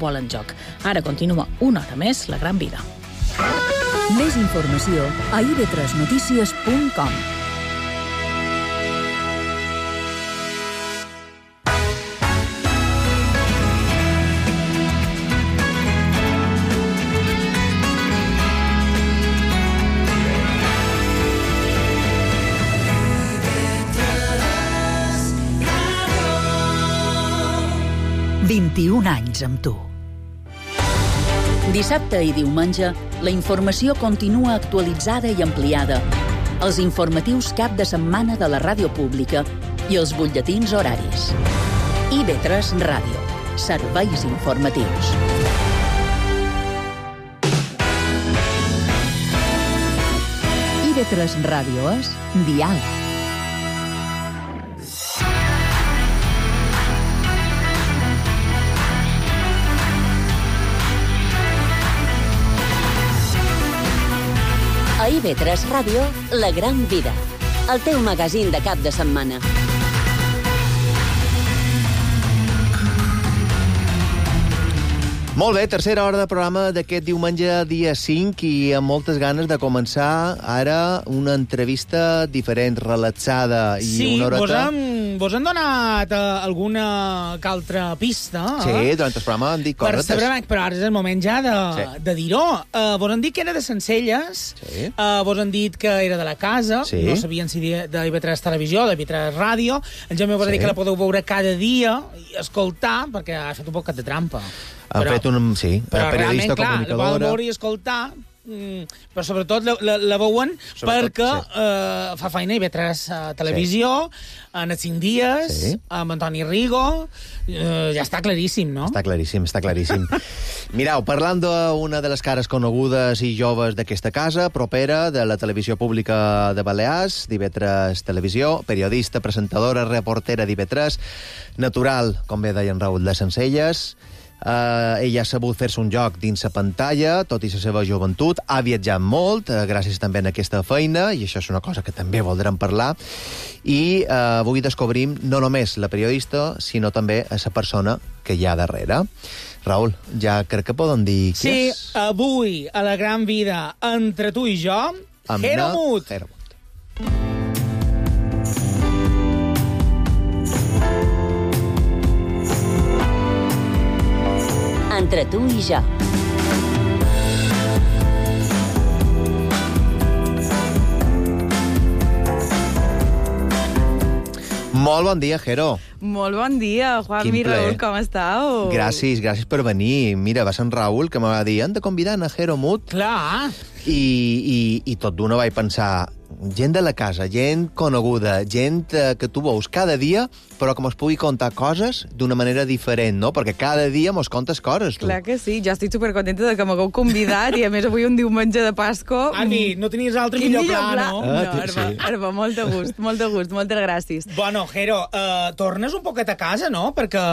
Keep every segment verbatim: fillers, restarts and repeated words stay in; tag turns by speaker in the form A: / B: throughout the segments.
A: futbol en joc. Ara continua una hora més La Gran Vida.
B: Més informació a i be tres notícies punt com.
C: vint-i-un anys amb tu.
B: Dissabte i diumenge, la informació continua actualitzada i ampliada. Els informatius cap de setmana de la ràdio pública i els butlletins horaris. i be tres Ràdio. Serveis informatius. i be tres Ràdio és diàleg.
D: A i be tres Ràdio, La Gran Vida, el teu magazín de cap de setmana.
E: Molt bé, tercera hora de programa d'aquest diumenge, dia cinc, i amb moltes ganes de començar ara una entrevista diferent, relaxada i
A: sí,
E: una horeta...
A: vos hem, vos hem donat uh, alguna que altra pista.
E: Sí,
A: eh?
E: durant el programa hem dit coses.
A: Per saber, però ara és el moment ja de,
E: sí.
A: de dir-ho. Uh, vos han dit que era de Sencelles,
E: sí.
A: uh, vos han dit que era de la casa,
E: sí.
A: no sabien si de, de i be tres Televisió, de i be tres Ràdio. En Jaume vos ha
E: sí.
A: dit que la podeu veure cada dia i escoltar, perquè ha fet un poc de trampa.
E: Han
A: però,
E: fet un... sí,
A: però
E: periodista,
A: clar,
E: comunicadora...
A: la veure i escoltar, mm, però sobretot la, la, la veuen sobretot, perquè sí. uh, fa feina i be tres uh, Televisió, sí. en els cinc dies, sí. amb Antoni Rigo, uh, ja està claríssim, no?
E: Està claríssim, està claríssim. Mireu, parlant d'una de les cares conegudes i joves d'aquesta casa, propera de la televisió pública de Balears, d'i be tres Televisió, periodista, presentadora, reportera d'i be tres, natural, com bé deia en Raül, de Sencelles. Uh, ella ha sabut fer-se un joc dins la pantalla, tot i la seva joventut, ha viatjat molt, uh, gràcies també a aquesta feina, i això és una cosa que també voldrem parlar, i uh, avui descobrim no només la periodista, sinó també a la persona que hi ha darrere. Raül, ja crec que poden dir
A: sí,
E: qui és?
A: Sí, avui, a La Gran Vida, entre tu i jo, Jero Mut.
E: Jero Mut.
D: Entre tu i jo.
E: Molt bon dia, Jero.
F: Molt bon dia, Juan i Raül, com estàu?
E: Gràcies, gràcies per venir. Mira, va ser en Raül que me va dir hem de convidar a Jero Mut.
A: Clar.
E: I, i, i tot d'una vaig pensar, gent de la casa, gent coneguda, gent eh, que tu veus cada dia, però que mos pugui contar coses d'una manera diferent, no? Perquè cada dia mos contes coses, tu.
F: Clar que sí, jo estic supercontenta de que m'hagueu convidat i a més avui un diumenge de Pasco...
A: Ani, no tenies altre millor, millor pla, no?
F: Ah, no, Arba, sí. Arba, molt de gust, molt de gust, moltes gràcies.
A: Bueno, Jero, uh, tornes un poquet a casa, no? Perquè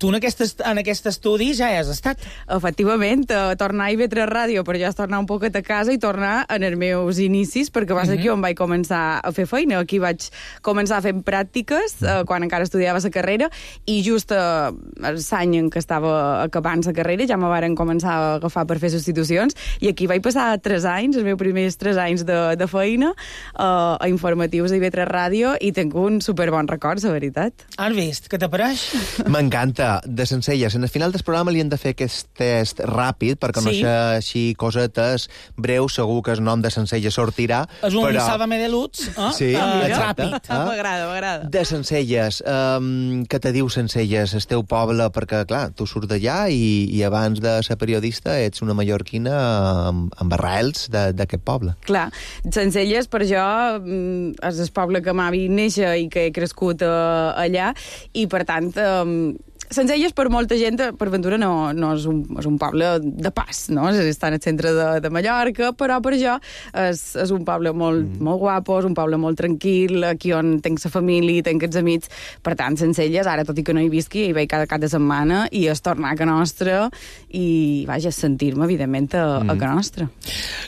A: tu en aquest, en aquest estudi ja has estat.
F: Efectivament, uh, tornar a i be tres Ràdio, però ja és tornar un poquet a casa i tornar en els meus inicis, perquè va ser mm-hmm. aquí on vaig començar a fer feina. Aquí vaig començar fent pràctiques, uh, quan encara estudiava la carrera, i just uh, l'any en què estava acabant la carrera ja me varen començar a agafar per fer substitucions, i aquí vaig passar tres anys, els meus primers tres anys de, de feina, uh, a informatius d'i be tres Ràdio, i tinc un superbon record, la veritat.
A: Has vist? Què t'apareix?
E: M'encanta. De Sencelles, en el final del programa li hem de fer aquest test ràpid, perquè no
A: sí.
E: sé així cosetes breus, segur que el nom de Sencelles sortirà.
A: És un
E: però...
A: Sálvame de Lutz, eh?
E: Sí,
A: uh,
E: exacte.
A: Ràpid.
F: Ah, m'agrada, m'agrada.
E: De Sencelles, um, què te diu Sencelles, el teu poble? Perquè, clar, tu surts d'allà i, i abans de ser periodista ets una mallorquina amb, amb arrels d'aquest poble.
F: Clar, Sencelles per jo és el poble que m'ha vist néixer i que he crescut uh, allà, i per tant... Um, Sencelles, per molta gent, per ventura, no, no és, un, és un poble de pas, no? Està en el centre de, de Mallorca, però per jo és, és un poble molt, mm. molt guapo, és un poble molt tranquil, aquí on tenc la família, tenc els amics. Per tant, Sencelles, ara, tot i que no hi visqui, hi vaig cada cap de setmana, i és tornar a Ca Nostra, i, vaja, sentir-me, evidentment, a, mm. a Ca Nostra.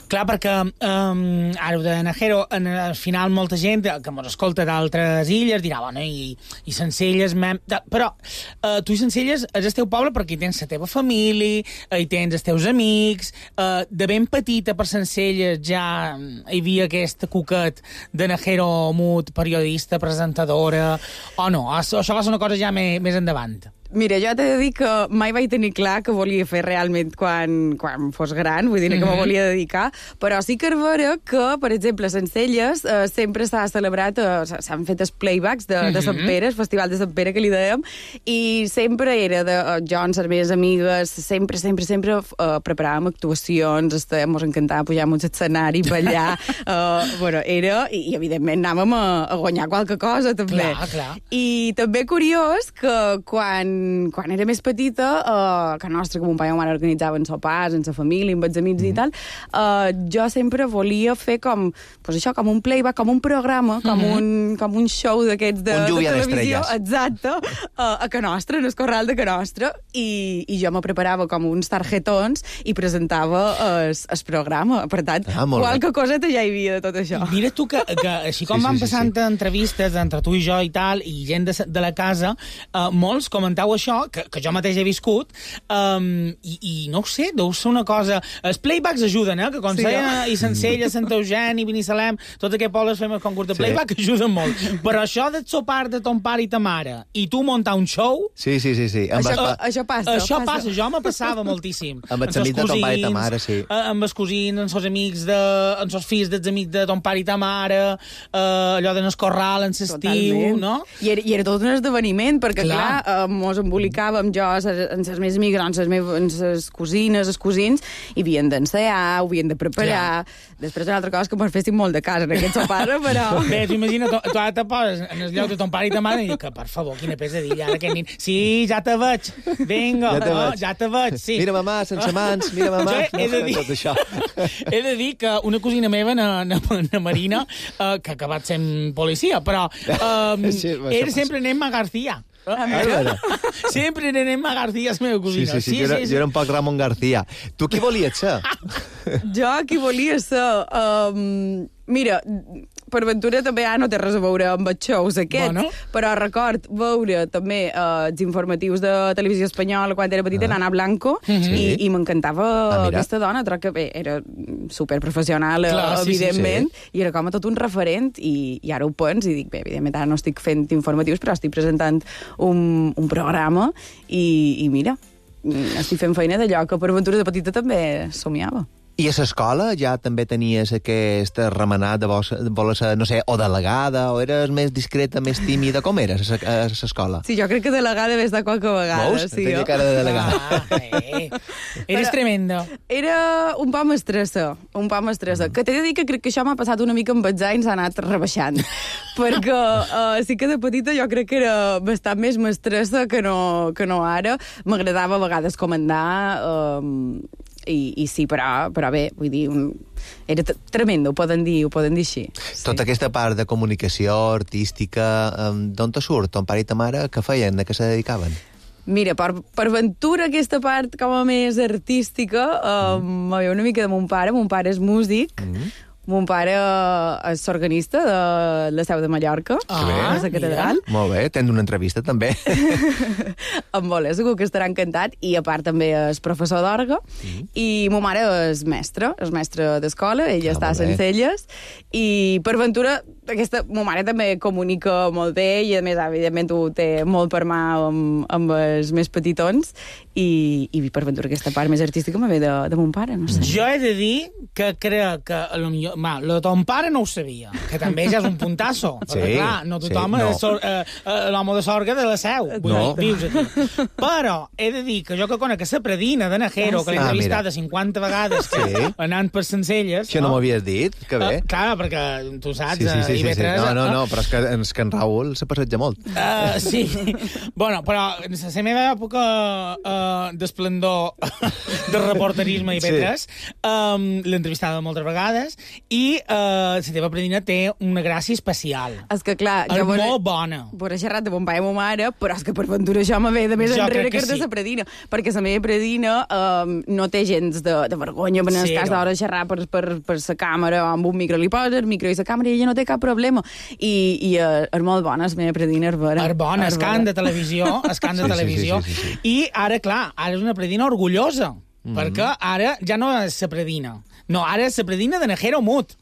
A: Clar, perquè, um, ara ho de Najero, en, al final molta gent que mos escolta d'altres illes dirà, bueno, i, i Sencelles... Mem... Però uh, tu tu i Sencelles és el teu poble perquè hi tens la teva família, hi tens els teus amics, uh, de ben petita per Sencelles ja hi havia aquest cuquet de Najero Mut, periodista, presentadora, o no? Això va ser una cosa ja més, més endavant.
F: Mira, jo t'he de dir que mai vaig tenir clar que volia fer realment quan, quan fos gran, vull dir que mm -hmm. me volia dedicar, però sí que és vera que, per exemple, a Sencelles eh, sempre s'ha celebrat, eh, s'han fet els playbacks de, mm -hmm. de Sant Pere, el Festival de Sant Pere, que li dèiem, i sempre era de eh, jo amb les meves amigues, sempre, sempre, sempre eh, preparàvem actuacions, ens encantava pujar a un escenari, ballar, eh, bueno, era, i, i evidentment anàvem a, a guanyar qualque cosa, també.
A: Clar, clar.
F: I també curiós que quan quan era més petita, eh, que nostre, que mon pare i ma mare organitzaven sopars amb la família, amb els amics mm. i tal, eh, jo sempre volia fer com, pues això, com un playback, com un programa, com, mm -hmm. un, com un show d'aquests de,
E: un
F: de televisió.
E: d'estrelles.
F: Exacte, uh, a Ca Nostra, en el corral de Ca Nostra, i, i jo me preparava com uns targetons i presentava el programa. Per tant,
E: ah,
F: qualque coseta ja hi havia de tot això.
A: Mira tu que, que així com sí, van sí, passant sí, sí. entrevistes entre tu i jo i tal, i gent de, de la casa, uh, molts comentau això, que, que jo mateix he viscut, um, i, i no ho sé, deu ser una cosa... Els playbacks ajuden, eh? Que quan sí, seia i Sencelles, Sant Eugeni, Binissalem, tots aquests pobles fem el concurs de playback, sí. ajuden molt. Però això de sopar de ton pare i ta mare, i tu muntar un show...
E: Sí, sí, sí. sí.
F: Això,
E: va...
F: això passa.
A: Això passa, jo me passava moltíssim.
E: Amb els amics de ton pare i ta mare, sí.
A: Amb els cosins, amb els amics de... amb els fills dels amics de ton pare i ta mare, uh, allò de n'escorral en l'estiu, no?
F: I era, I era tot un esdeveniment, perquè, clar, clar uh, mos embolicàvem jo amb les meves amigues, amb les meves les cosines, els cosins, i havien d'ensaiar, ho havien de preparar. Clar. Després una altra cosa que mos fessin molt de casa en aquest sopar, però...
A: Bé, tu imagina, tu, tu ara te poses en el lloc de ton pare i ta mare i dius que, per favor, quina pesadilla, ara aquest nin... Sí, ja te veig, vinga, ja te, no, veig. Ja te veig, sí.
E: Mira, mamà, sense mans, mira, mamà.
A: Jo he, de dir,
E: no, tot això.
A: he de dir que una cosina meva, na, na, na Marina, uh, que ha acabat sent policia, però um, sí, era sempre Nemma García.
E: Ah, ah,
A: sempre anem a García, la meva cosina.
E: Sí, sí, sí, sí, jo, era, sí, sí. jo era un poc Ramon García. Tu qui volies ser?
F: Jo qui volia ser... Um, mira, per ventura també ja no té res a veure amb els shows aquests, bueno. Però record veure també uh, els informatius de Televisió Espanyola quan era petita, ah. Nana Blanco, mm-hmm. i, i m'encantava ah, aquesta dona, troc que bé, era superprofessional, Clar, evidentment, sí, sí, sí. i era com a tot un referent, i, i ara ho pens i dic, bé, evidentment ara no estic fent informatius, però estic presentant un, un programa, i, i mira, estic fent feina d'allò que per ventura de petita també somiava.
E: I a l'escola ja també tenies aquest remenat de voler ser, no sé, o delegada, o eres més discreta, més tímida? Com eres a l'escola?
F: Sí, jo crec que delegada ves de qualque vegada.
E: Veus?
F: Sí,
E: tenia cara de delegada.
A: Ah, eh. Eres Però tremendo.
F: Era un poc mestressa, un poc mestressa. Mm. Que t'he de dir que crec que això m'ha passat una mica amb els anys, s'ha anat rebaixant. Perquè uh, sí que de petita jo crec que era bastant més mestressa que no, que no ara. M'agradava a vegades comandar... Uh, I, i sí, però, però bé, vull dir, un, era tremendo, ho poden dir, ho poden dir així. Sí.
E: Tota aquesta part de comunicació artística, um, d'on te surt? Ton pare i ta mare, què feien? De què se dedicaven?
F: Mira, per, per ventura aquesta part com a més artística, um, mm. m'ha una mica de mon pare, mon pare és músic, mm. Mon pare és organista de la Seu de Mallorca,
E: ah,
F: a la catedral.
E: Mira. Molt bé, tens una entrevista també.
F: Em voler, segur que estarà encantat. I a part també és professor d'orgue. Mm. I ma mare és mestra, és mestra d'escola, ella ah, està a Sencelles. I per ventura, aquesta, ma mare també comunica molt bé i a més, evidentment, ho té molt per mà amb, amb els més petitons. I, i per ventura aquesta part més artística me ve de, de mon pare, no sé.
A: Jo he de dir que crec que a lo millor, ma, lo de ton pare no ho sabia, que també ja és un puntasso, sí, perquè clar, no tothom sí, no. és eh, eh, l'home de sorga de la Seu, vull no. dir, vius aquí. Però he de dir que jo que conec la predina de Najero, ah, sí. que l'he entrevistat ah, cinquanta vegades sí. anant per Sencelles...
E: Això no, no m'havies dit, que bé.
A: Uh, clar, perquè tu saps,
E: sí, sí, sí,
A: i
E: sí, sí. No, no, no,
A: uh,
E: però és que, és que en Raül se passeja molt.
A: Uh, sí, bueno, però en la meva època uh, d'esplendor de reporterisme i P tres, sí. um, l'he entrevistada moltes vegades i uh, la teva predina té una gràcia especial.
F: És que, clar...
A: És
F: jo
A: molt bona.
F: Vora xerrat de mon pare i ma mare, però és que per ventura això me ve de més jo enrere que, que sí. de la predina. Perquè la meva predina um, no té gens de, de vergonya, en el sí, cas d'hora de xerrar per, per, per la càmera o amb un micro li posa el micro i la càmera i ella no té cap problema. I, i uh, és molt bona, és meva predina, és vera.
A: És bona, és can de televisió, és can de
E: Sí,
A: televisió.
E: sí, sí, sí, sí.
A: I ara, clar, ara és una predina orgullosa, mm-hmm. perquè ara ja no és la predina. No, ara és la predina de Najero Mut.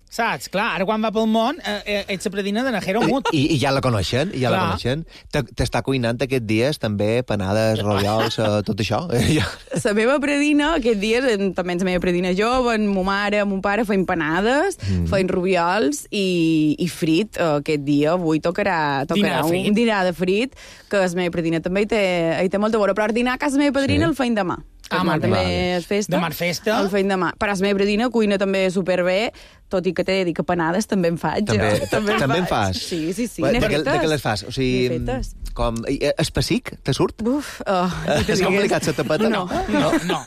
A: Saps? Clar, ara quan va pel món eh, ets la predina de Najero Mut.
E: I, I ja la coneixen, ja
A: Clar.
E: la coneixen. T'està cuinant aquests dies també panades, rotllols, eh, tot això. Ja.
F: La meva predina, aquests dies, en- també és la meva predina jove, en ma mare, mon pare, feim panades, mm. feim rubiols i, i frit. Uh, aquest dia, avui tocarà,
A: Dinar
F: tocarà
A: de frit.
F: un dinar de frit, que la meva predina també hi té, hi té molta bona, però el dinar a casa la meva padrina
E: Sí.
F: el feim demà.
A: Ah,
F: Demà
A: molt
F: també
E: bé.
F: és festa.
A: Demà és festa.
F: El feim demà. Però la meva predina cuina també superbé, tot i que t'he de dir que panades també en faig.
E: També,
F: jo. també en
E: també en
F: faig.
E: fas?
F: Sí, sí, sí.
E: De,
F: n'he
E: de, què- de
F: fetes.
E: què les fas? O sigui,
F: N'he fetes.
E: com... Espessic? Te surt?
F: Uf, oh,
E: És complicat, se tapeta?
F: No,
A: No, no.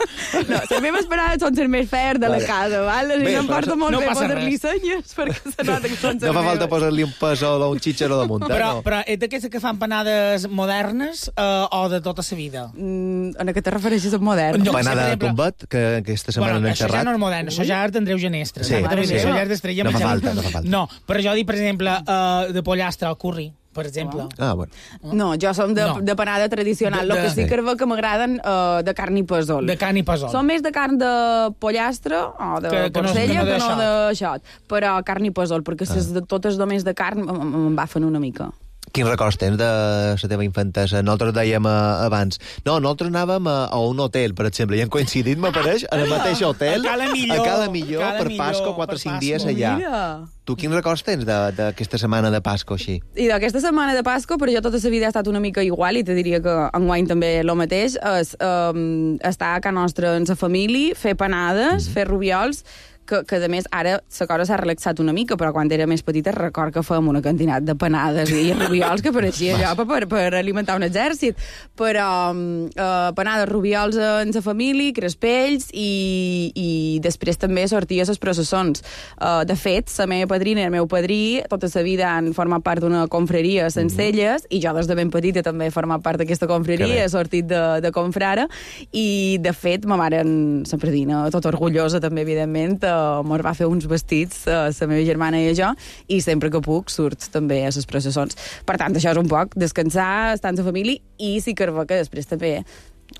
F: no, les meves parades són les més fer de la
E: Vale.
F: casa, val?
E: Bé,
F: Bé, em
E: però
F: porta
E: això-
F: molt
A: no
F: bé
A: passa
F: posar-li
A: res.
F: senyes, perquè se nota que són les
E: No fa falta
F: meves.
E: posar-li un pesol o un xitxero damunt, eh?
A: Però,
E: no.
A: però és d'aquestes que fan panades modernes eh, o de tota la vida?
F: Mm, en què te refereixes amb modern?
A: No.
E: Panada
A: per
E: de
A: exemple-
E: tombat, que aquesta setmana
A: Bueno,
E: n'hem
A: això ja
E: xerrat.
A: no és modern, això ja és d'Andreu Genestre.
E: Sí,
A: saps?
E: sí.
A: Això ja és d'Estrella
E: No fa
A: Mitjana.
E: falta, no fa falta.
A: No, però jo dic, per exemple, uh, de pollastre al curri, per exemple.
E: Ah, bueno.
F: No, jo som de,
A: No.
F: de panada tradicional.
A: De-
F: El
A: de-
F: que sí que és que m'agraden uh, de carn i pesol.
A: De carn i pesol.
F: Som més de carn de pollastre o de
A: Que- que no-
F: porcella
A: que
F: que
A: no
F: no,
A: de
F: de xot. Però carn i pesol, perquè
E: Ah.
F: ses de, totes només de carn m'embafen una mica.
E: Quins records tens de la teva infantesa? Nosaltres dèiem uh, abans... No, nosaltres anàvem a, a un hotel, per exemple, i hem coincidit, m'apareix, en el mateix hotel,
A: A Cala Millor.
E: a Cala Millor,
A: Cala
E: per
A: Millor,
E: Pasco, quatre o
A: per
E: cinc
A: Pasco.
E: dies allà.
F: Mira.
E: Tu quins records tens de- d'aquesta setmana de Pasco, així?
F: I d'aquesta setmana de Pasco, però jo tota la vida ha estat una mica igual, i te diria que enguany també el mateix, és um, estar a casa nostra en sa família, fer panades, mm. fer rubiols, que, que a més ara la cosa s'ha relaxat una mica, però quan era més petita record que fèiem una quantitat de panades i rubiols que pareixia allò per, per alimentar un exèrcit. Però um, uh, panades, rubiols en sa família, crespells, i, i després també sortia a les processons. Uh, de fet, la meva padrina i el meu padrí tota la vida han format part d'una confraria a Sencelles, mm-hmm. i jo des de ben petita també he format part d'aquesta
E: Que
F: confraria,
E: bé.
F: he sortit de, de confrara, i de fet ma mare, en sa predina, tota orgullosa també, evidentment, uh, mos va fer uns vestits, uh, la meva germana i jo, i sempre que puc surt també a les processons. Per tant, això és un poc descansar, estar amb la família, i sí que que després també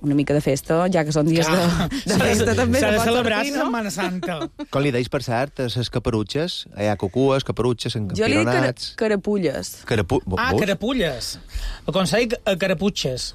F: una mica de festa, ja que són dies de, de festa també.
A: S'ha
F: se
A: de
F: pot
A: celebrar
F: sortir,
A: la
F: no?
A: Setmana Santa.
E: Com li deis, per cert, a les caperutxes? Hi ha cucues, caperutxes,
F: Jo li dic cara,
E: encampironats...
F: carapulles.
E: Carapu...
A: Ah,
E: Veus?
A: carapulles. El consell eh, caraputxes.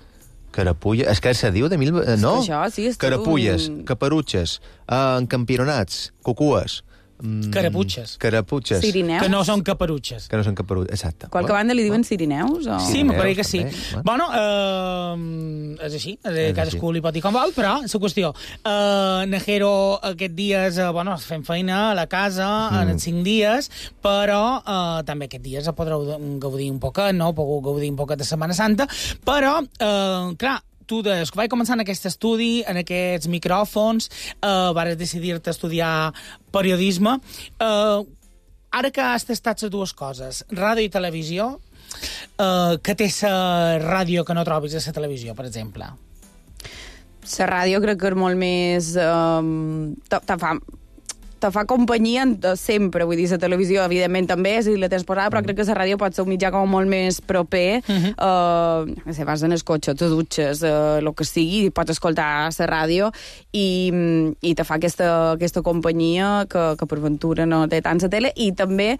E: Carapulla... És que se diu de mil... eh, No?
F: És que això, sí, és tot
E: Carapulles,
F: un-
E: caperutxes, eh, encampironats, cucues... Mm,
A: Caraputxes.
E: Caraputxes.
F: Sirineus.
A: Que no són caperutxes.
E: Que no són caperutxes, exacte.
F: Qualque banda li diuen sirineus? O...
A: Sí, me pareix que sí.
E: també,
A: Bueno, eh, és així, és
E: És
A: cadascú
E: així.
A: li pot dir com vol, però la qüestió. Eh, Najero aquests dies, eh, bueno, fem feina a la casa, mm. en els cinc dies, però eh, també aquests dies podreu gaudir un poquet, no? Podeu gaudir un poquet de Setmana Santa, però, eh, clar, tu, des que vaig començar en aquest estudi, en aquests micròfons, eh, vas decidir-te estudiar periodisme. Eh, ara que has tastat les dues coses, ràdio i televisió, eh, que té la ràdio que no trobis a la televisió, per exemple?
F: La ràdio crec que és molt més... Um, te, te fa te fa companyia sempre, vull dir, la televisió evidentment també, si la tens posada, però crec que la ràdio pot ser un mitjà com molt més proper. Uh-huh. uh, no sé, vas en el cotxe, te dutxes, uh, el que sigui, pots escoltar la ràdio i, i te fa aquesta, aquesta companyia que, que per ventura no té tant la tele, i també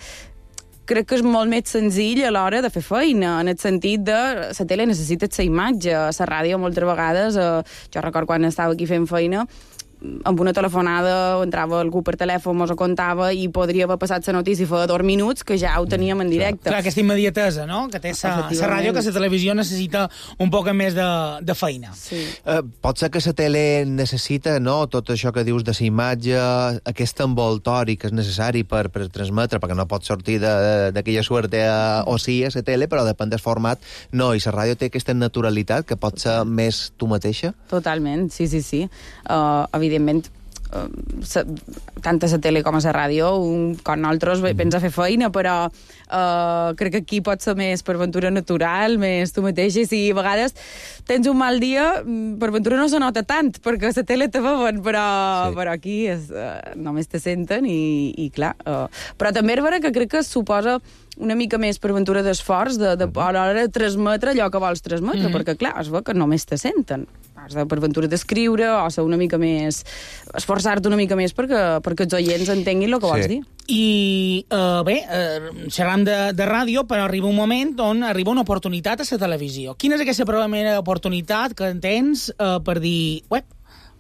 F: crec que és molt més senzill a l'hora de fer feina, en el sentit de la tele necessita la imatge, la ràdio moltes vegades, eh, jo record quan estava aquí fent feina, amb una telefonada entrava algú per telèfon, mos ho contava i podria haver passat la notícia fa dos minuts que ja ho teníem en directe.
A: Clar, aquesta immediatesa, no?, que té la ràdio, que la televisió necessita un poc més de, de feina.
F: Sí.
E: Uh, pot ser que la tele necessita, no?, tot això que dius de la imatge, aquest envoltori que és necessari per, per transmetre, perquè no pot sortir d'aquella suerte a, o sí a la tele, però depèn del format. No, i la ràdio té aquesta naturalitat que pot ser més tu mateixa?
F: Totalment, sí, sí, sí. Uh, evidentment, tant a la tele com a la ràdio, un, com nosaltres mm. vens a fer feina, però uh, crec que aquí pot ser més per ventura natural, més tu mateixa, i si a vegades tens un mal dia, per ventura no se nota tant, perquè a la tele te veuen, però, sí. però aquí és, uh, només te senten i, i clar. Uh, però també és vera que crec que suposa una mica més per ventura d'esforç de, de, a l'hora de transmetre allò que vols transmetre, mm. perquè clar, es veu que només te senten. Has de per ventura d'escriure o ser una mica més... esforçar-te una mica més perquè, perquè els oients entenguin el que sí. vols dir.
A: I, uh, bé, uh, xerram de, de ràdio, però arriba un moment on arriba una oportunitat a la televisió. Quina és aquesta primera oportunitat que tens uh, per dir, ué,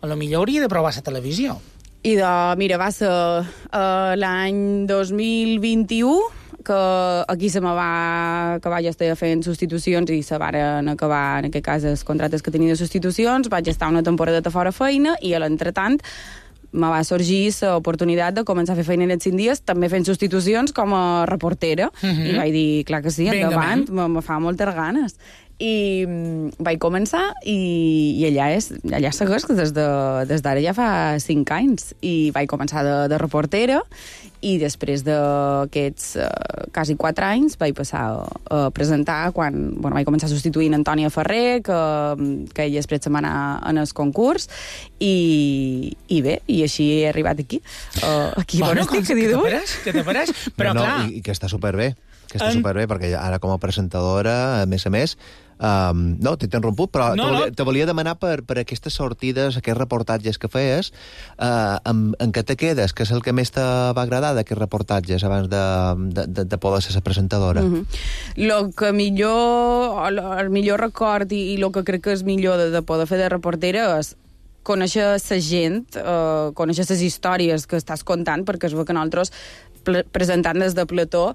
A: a lo millor hauria de provar la televisió?
F: I de, mira, va ser uh, l'any dos mil vint-i-u, que aquí se me va acabar, jo estava fent substitucions i se varen acabar, en aquest cas, els contractes que tenia de substitucions, vaig estar una temporada fora feina i a l'entretant me va sorgir l'oportunitat de començar a fer feina en els cinc dies, també fent substitucions com a reportera. Uh-huh. I vaig dir, clar que sí, endavant, me, me fa moltes ganes. I um, vaig començar i, i allà, és, allà segueix des de, des d'ara ja fa cinc anys. I vaig començar de, de reportera i després d'aquests uh, quasi quatre anys vaig passar a, a presentar quan bueno, vaig començar substituint Antònia Ferrer, que, que ella després se'n va anar en el concurs i, i bé, i així he arribat aquí. Uh, aquí
A: bueno,
F: bon estic, que
A: te pareix, que te pareix, però
E: no,
A: clar...
E: I, i que està superbé, que està
A: en...
E: superbé, perquè ara com a presentadora, a més a més, Um, no, t'he interromput, però
A: no,
E: te, volia,
A: no.
E: te volia demanar per, per aquestes sortides, aquests reportatges que feies, uh, en, en què te quedes? Què és el que més te va agradar d'aquests reportatges abans de, de, de, de poder ser la presentadora?
F: Mm-hmm. Lo que millor, el millor record i, i el que crec que és millor de, de poder fer de reportera és conèixer la gent, uh, conèixer les històries que estàs contant, perquè es veu que nosaltres, presentant des de plató,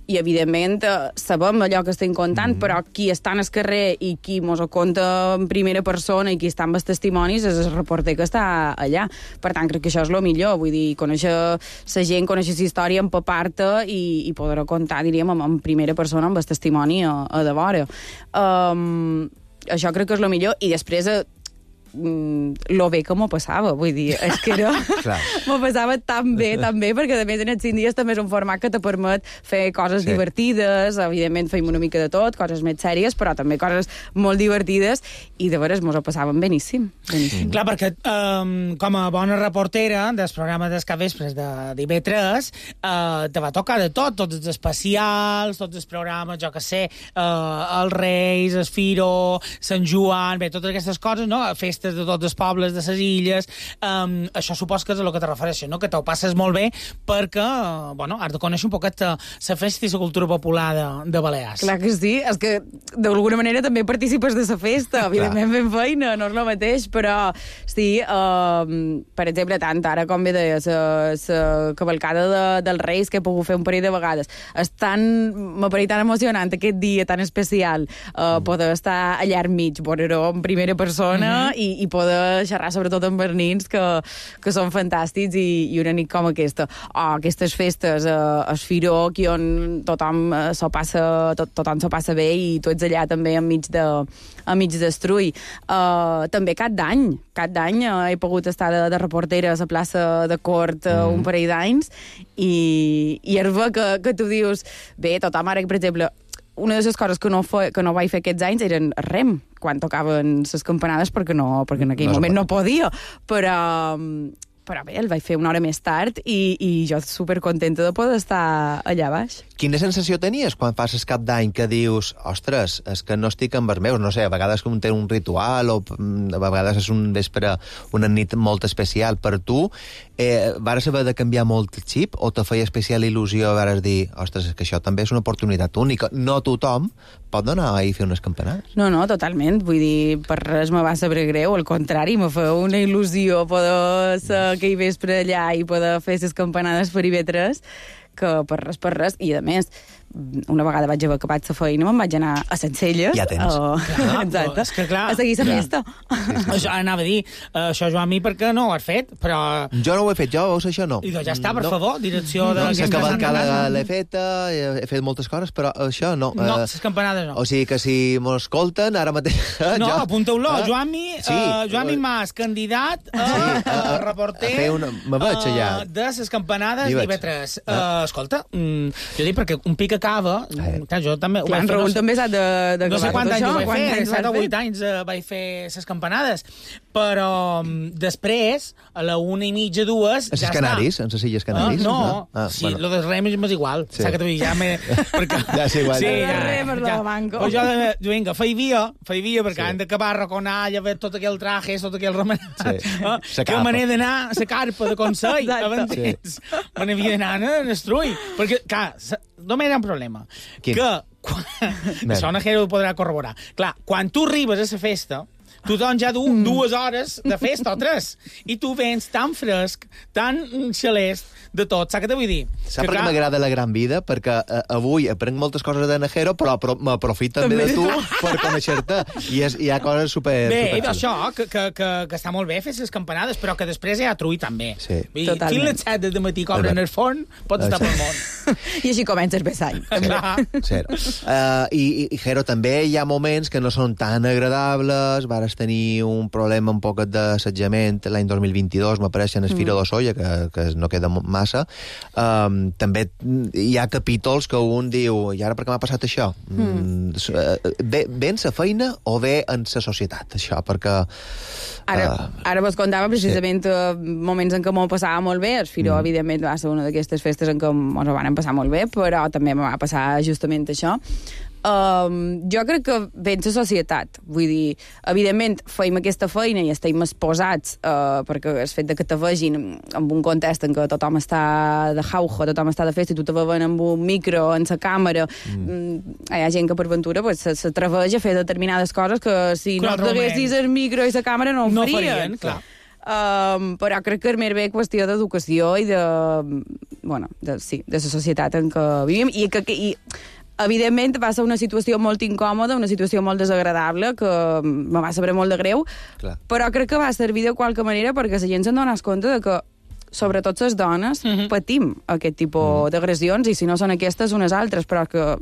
F: i evidentment sabem allò que estem contant, mm. però qui està en el carrer i qui mos ho conta en primera persona i qui està amb els testimonis és el reporter que està allà. Per tant, crec que això és el millor, vull dir, conèixer la gent, conèixer la història, empapar-te i, i poder-ho contar, diríem, en primera persona, amb el testimoni a, a de vora. Um, això crec que és el millor, i després lo bé que m'ho passava, vull dir, és que era... m'ho passava tan bé, tan bé, perquè a més en els cinc dies també és un format que te permet fer coses sí. divertides, evidentment feim una mica de tot, coses més sèries, però també coses molt divertides, i de veres mos ho passàvem beníssim. beníssim.
A: Mm. Clar, perquè um, com a bona reportera del programa dels capvespres de d'I B tres, uh, te va tocar de tot, tots els especials, tots els programes, jo que sé, uh, els Reis, el Firo, Sant Joan, bé, totes aquestes coses, no? Festes de tots els pobles de les illes, um, això supos que és a lo que te refereixes, no? Que t'ho passes molt bé perquè, uh, bueno, has de conèixer un poquet la festa i la cultura popular de, de Balears.
F: Clar que sí, és que d'alguna manera també participes de la festa, evidentment fent feina, no és el mateix, però sí, uh, per exemple, tant ara com bé deia, la cavalcada de, dels Reis que he pogut fer un parell de vegades, és tan, m'ha parit tan emocionant aquest dia tan especial, uh, mm. poder estar allà enmig, veure-ho en primera persona mm-hmm. i i poder xerrar sobretot amb els nins que, que són fantàstics i, i una nit com aquesta. O aquestes festes, eh, el Firó, aquí on tothom eh, s'ho passa, tot, tothom s'ho passa bé i tu ets allà també enmig de, enmig d'estrull. Eh, també cap d'any, cap d'any eh, he pogut estar de, de reportera a la plaça de Cort eh, mm. un parell d'anys i, i és bé que, que tu dius, bé, tothom ara, per exemple, una de les coses que no, fe, que no vaig fer aquests anys eren rem, quan tocaven les campanades, perquè, no, perquè en aquell no moment no podia, però, però bé, el vaig fer una hora més tard i, i jo supercontenta de poder estar allà baix.
E: Quina sensació tenies quan fas el cap d'any que dius, ostres, és que no estic amb els meus, no sé, a vegades com té un ritual o a vegades és un vespre, una nit molt especial per tu, eh, vares haver de canviar molt el xip o te feia especial il·lusió vares dir, ostres, és que això també és una oportunitat única, no tothom pot anar a fer unes campanades?
F: No, no, totalment, vull dir, per res me va saber greu, al contrari, me fa una il·lusió poder ser aquell vespre allà i poder fer les campanades per I V tres, que per res, per res, i a més, una vegada vaig haver acabat la feina, me'n vaig anar a Sencelles.
E: Ja tens.
F: Uh,
A: Clar,
F: exacte.
A: és que clar.
F: A seguir la festa.
A: Això anava a dir, uh, això, Joan, mi, perquè no ho has fet, però...
E: Jo no ho he fet, jo, veus, això no.
A: I doncs ja està, per
E: no.
A: favor, direcció de...
E: No,
A: les
E: la cavalcada
A: campanades.
E: l'he feta, he fet moltes coses, però això no.
A: No,
E: Eh,
A: les campanades no.
E: O sigui que si m'escolten, ara mateix...
A: No,
E: jo-
A: apunteu-lo,
E: Ah,
A: Joan-mi,
E: sí,
A: uh, Joan-mi
E: eh,
A: Mas, candidat a,
E: Sí,
A: a,
E: a-
A: reporter
E: a fer una- me veig allà.
A: uh, de les campanades
E: Hi
A: d'I
E: veig.
A: V tres.
E: Ah.
A: Uh, escolta, mm, jo dic perquè un pic acaba,
E: Eh.
A: clar, jo també... ho
F: Clar,
A: vaig
F: en
A: fer,
F: Raül
A: no sé-
F: també s'ha de, de
A: no sé quants anys ho vaig fer, set o vuit
F: anys.
A: anys uh, vaig fer les campanades, però um, després, a la una i mitja, dues,
E: A
A: ja
E: les Canaris, en les Illes
A: Ah,
E: Canaris?
A: no,
E: Ah,
A: sí,
E: bueno.
A: lo dels rems m'és igual.
E: Sí.
A: Saps que t'ho dic, ja m'he... perquè-
E: Ja és igual,
A: Sí,
E: ja.
A: ja,
F: Rems,
A: ja.
F: lo manco.
A: Pues jo, de- jo, vinga, feia, feia, perquè
E: Sí.
A: han d'acabar arraconar, ja veure tot aquell traje, tot aquell remenat.
E: Sí.
A: Ah,
E: Sa
A: que
E: capa.
A: me n'he d'anar a la carpa de Consell,
F: Exacte.
A: m'entens? Me n'havia d'anar a Nestrull. Perquè, clar, sa- només hi ha un problema.
E: Quin?
A: Que, quan,
E: Nen.
A: això Najero ho podrà corroborar. Clar, quan tu arribes a la festa, tothom ja du
F: Mm.
A: dues hores de festa o tres, i tu vens tan fresc, tan xalest de tot. Saps què te vull dir?
E: Saps
A: Que,
E: per què
A: clar,
E: m'agrada la gran vida? Perquè eh, avui aprenc moltes coses de Najero, però, però m'aprofito també
F: També
E: de tu per conèixer-te. I és, hi ha coses super...
A: Bé,
E: super
A: i això, que, que, que, que està molt bé fer les campanades, però que després hi ha trull també.
E: Sí.
A: Vull dir,
F: Totalment.
A: fins les set de matí cobren
E: Albert.
A: el forn, pots estar pel món.
F: I així comença el besany.
A: Clar.
E: Zero. Uh, i, I, Jero, també hi ha moments que no són tan agradables. Vares tenir un problema un poc d'assetjament l'any dos mil vint-i-dos, m'apareix en el Fira d'Ossolla, que, que no queda massa. Um, també hi ha capítols que un diu, i ara per què m'ha passat això? Mm. Ve, ve en sa feina o ve en sa societat, això? Perquè...
F: Ara,
E: uh,
F: ara vos contava precisament sí. moments en què m'ho passava molt bé. El Firó, mm. evidentment, va ser una d'aquestes festes en què ens ho van passar molt bé, però també em va passar justament això. Um, jo crec que ve en la societat. Vull dir, evidentment, feim aquesta feina i estem exposats uh, perquè el fet de que te vegin en un context en què tothom està de jauja, tothom està de festa i tu te veuen amb un micro, en la càmera, mm. hi ha gent que per ventura pues, s'atreveix a fer determinades coses que si
A: Un
F: no
A: altre
F: t'haguessis
A: moment.
F: el micro i la càmera no ho
A: No
F: farien.
A: farien, clar.
F: Um, però crec que és més bé qüestió d'educació i de, bueno, de, sí, de la societat en què vivim i que, que i, evidentment va ser una situació molt incòmoda, una situació molt desagradable que me va saber molt de greu,
E: Clar.
F: però crec que va servir de qualque manera perquè la gent se'n donés compte de que sobretot les dones
A: Mhm.
F: patim aquest tipus d'agressions i si no són aquestes unes altres, però que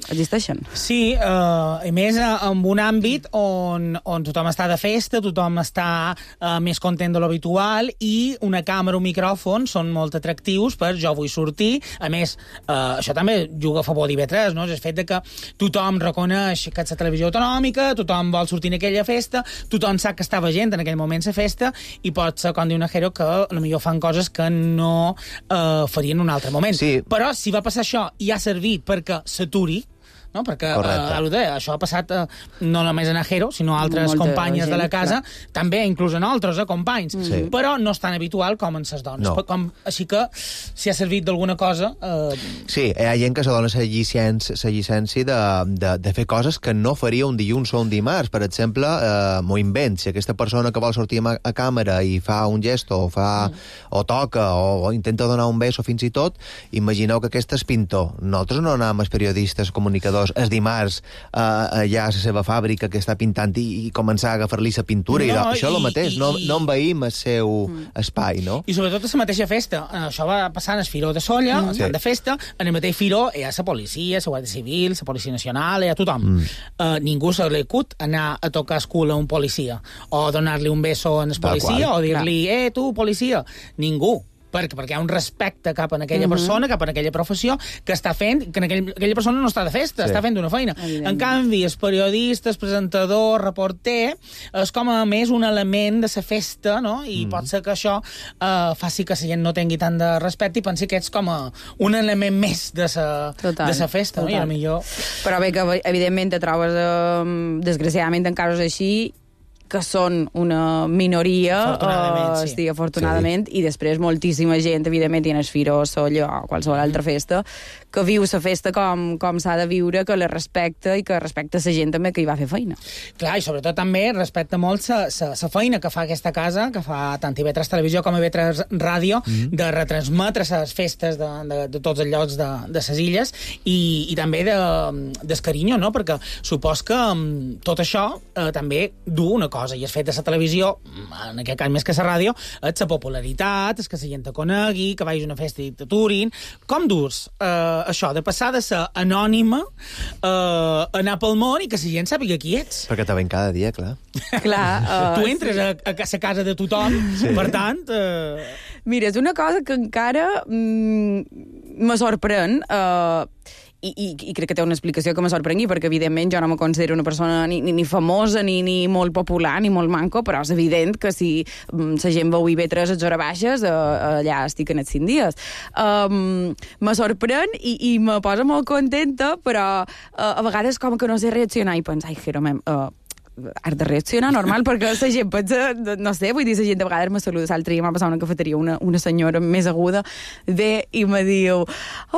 F: existeixen.
A: Sí, uh, i més uh, en un àmbit on, on tothom està de festa, tothom està uh, més content de l'habitual i una càmera o un micròfon són molt atractius per jo vull sortir. A més, uh, això també juga a favor d'I V tres, no? És el fet de que tothom reconeix que és la televisió autonòmica, tothom vol sortir en aquella festa, tothom sap que estava gent en aquell moment a festa i pot ser, com diu Najero, que potser fan coses que no uh, farien en un altre moment.
E: Sí.
A: Però si va passar això i ha servit perquè s'aturi, no? Perquè
E: Correcte.
A: uh, això ha passat uh, no només a Najero, sinó a altres
F: Molta
A: companyes
F: gent,
A: de la casa,
F: clar.
A: també inclús a nosaltres, eh, companys,
E: Sí.
A: però no és tan habitual com en ses dones.
E: No.
A: Com, així que, si ha servit d'alguna cosa... Uh,
E: Sí, hi ha gent que se dona la llicència, la llicència de, de, de fer coses que no faria un dilluns o un dimarts. Per exemple, eh, m'ho invent. Si aquesta persona que vol sortir a, a càmera i fa un gest o, fa, mm. o toca o, o intenta donar un beso fins i tot, imagineu que aquest és pintor. Nosaltres no anem els periodistes, comunicadors, el dimarts eh, allà a la seva fàbrica que està pintant i, i començar a agafar-li la pintura.
A: No,
E: No, I, això és el
A: i-
E: mateix.
A: i-
E: no,
A: i-
E: no envaïm el seu mm. espai, no?
A: I sobretot a la mateixa festa. Això va passar en el Firó de Solla, mm. estan
E: Sí.
A: de festa, en el mateix Firó hi ha la policia, la Guàrdia Civil, la Policia Nacional, hi ha tothom. Mm. Uh, ningú se li acut anar a tocar el cul a un policia, o donar-li un beso en el
E: Tal
A: policia,
E: qual.
A: o dir-li, eh, tu, policia. Ningú. Perquè, perquè hi ha un respecte cap a aquella
F: Mhm.
A: persona, cap a aquella professió, que està fent, que en aquell, aquella persona no està de festa,
E: Sí.
A: està fent una feina.
F: Evidentment.
A: En canvi, el periodista, el presentador, reporter, és com a més un element de la festa, no? I mm. pot ser que això eh, faci que la gent no tingui tant de respecte i pensi que ets com a un element més de la
F: Total,
A: de la festa, no? I
F: total.
A: a millor...
F: Però bé, que evidentment te trobes, eh, desgraciadament, en casos així, que són una minoria,
A: afortunadament,
F: uh,
A: sí.
F: sí, afortunadament, sí. I després moltíssima gent, evidentment, i en el Firo, Solla o qualsevol altra festa, que viu la festa com, com s'ha de viure, que la respecta i que respecta la gent també que hi va fer feina.
A: Clar, i sobretot també respecta molt la feina que fa aquesta casa, que fa tant I V tres Televisió com I V tres Ràdio, mm. de retransmetre les festes de, de, de tots els llocs de, de les illes i, i també de, del carinyo, no? Perquè supos que um, tot això eh, també du una cosa, i és fet de la televisió, en aquest cas més que la ràdio, és la popularitat, és que la gent te conegui, que vagis a una festa i t'aturin. Com durs eh, això, de passar de ser anònima eh, a anar pel món i que la gent sàpiga qui ets?
E: Perquè te ven cada dia, clar.
F: Clar, uh,
A: tu entres sí. a, a la casa de tothom, sí. Per tant... Eh...
F: Mira, és una cosa que encara mm, me sorprèn, eh, i, i, i crec que té una explicació que me sorprengui, perquè evidentment jo no me considero una persona ni, ni, ni famosa, ni, ni molt popular, ni molt manco, però és evident que si mm, la gent veu I V tres a hores baixes, eh, allà estic en els cinc dies. Um, me sorprèn i, i me posa molt contenta, però uh, a vegades com que no sé reaccionar i pensar, ai, Jero, mem, uh, has de reaccionar normal, perquè la gent pensa, no sé, vull dir, la gent de vegades me saluda. L'altre dia m'ha passat una cafeteria, una, una senyora més aguda, ve i me diu,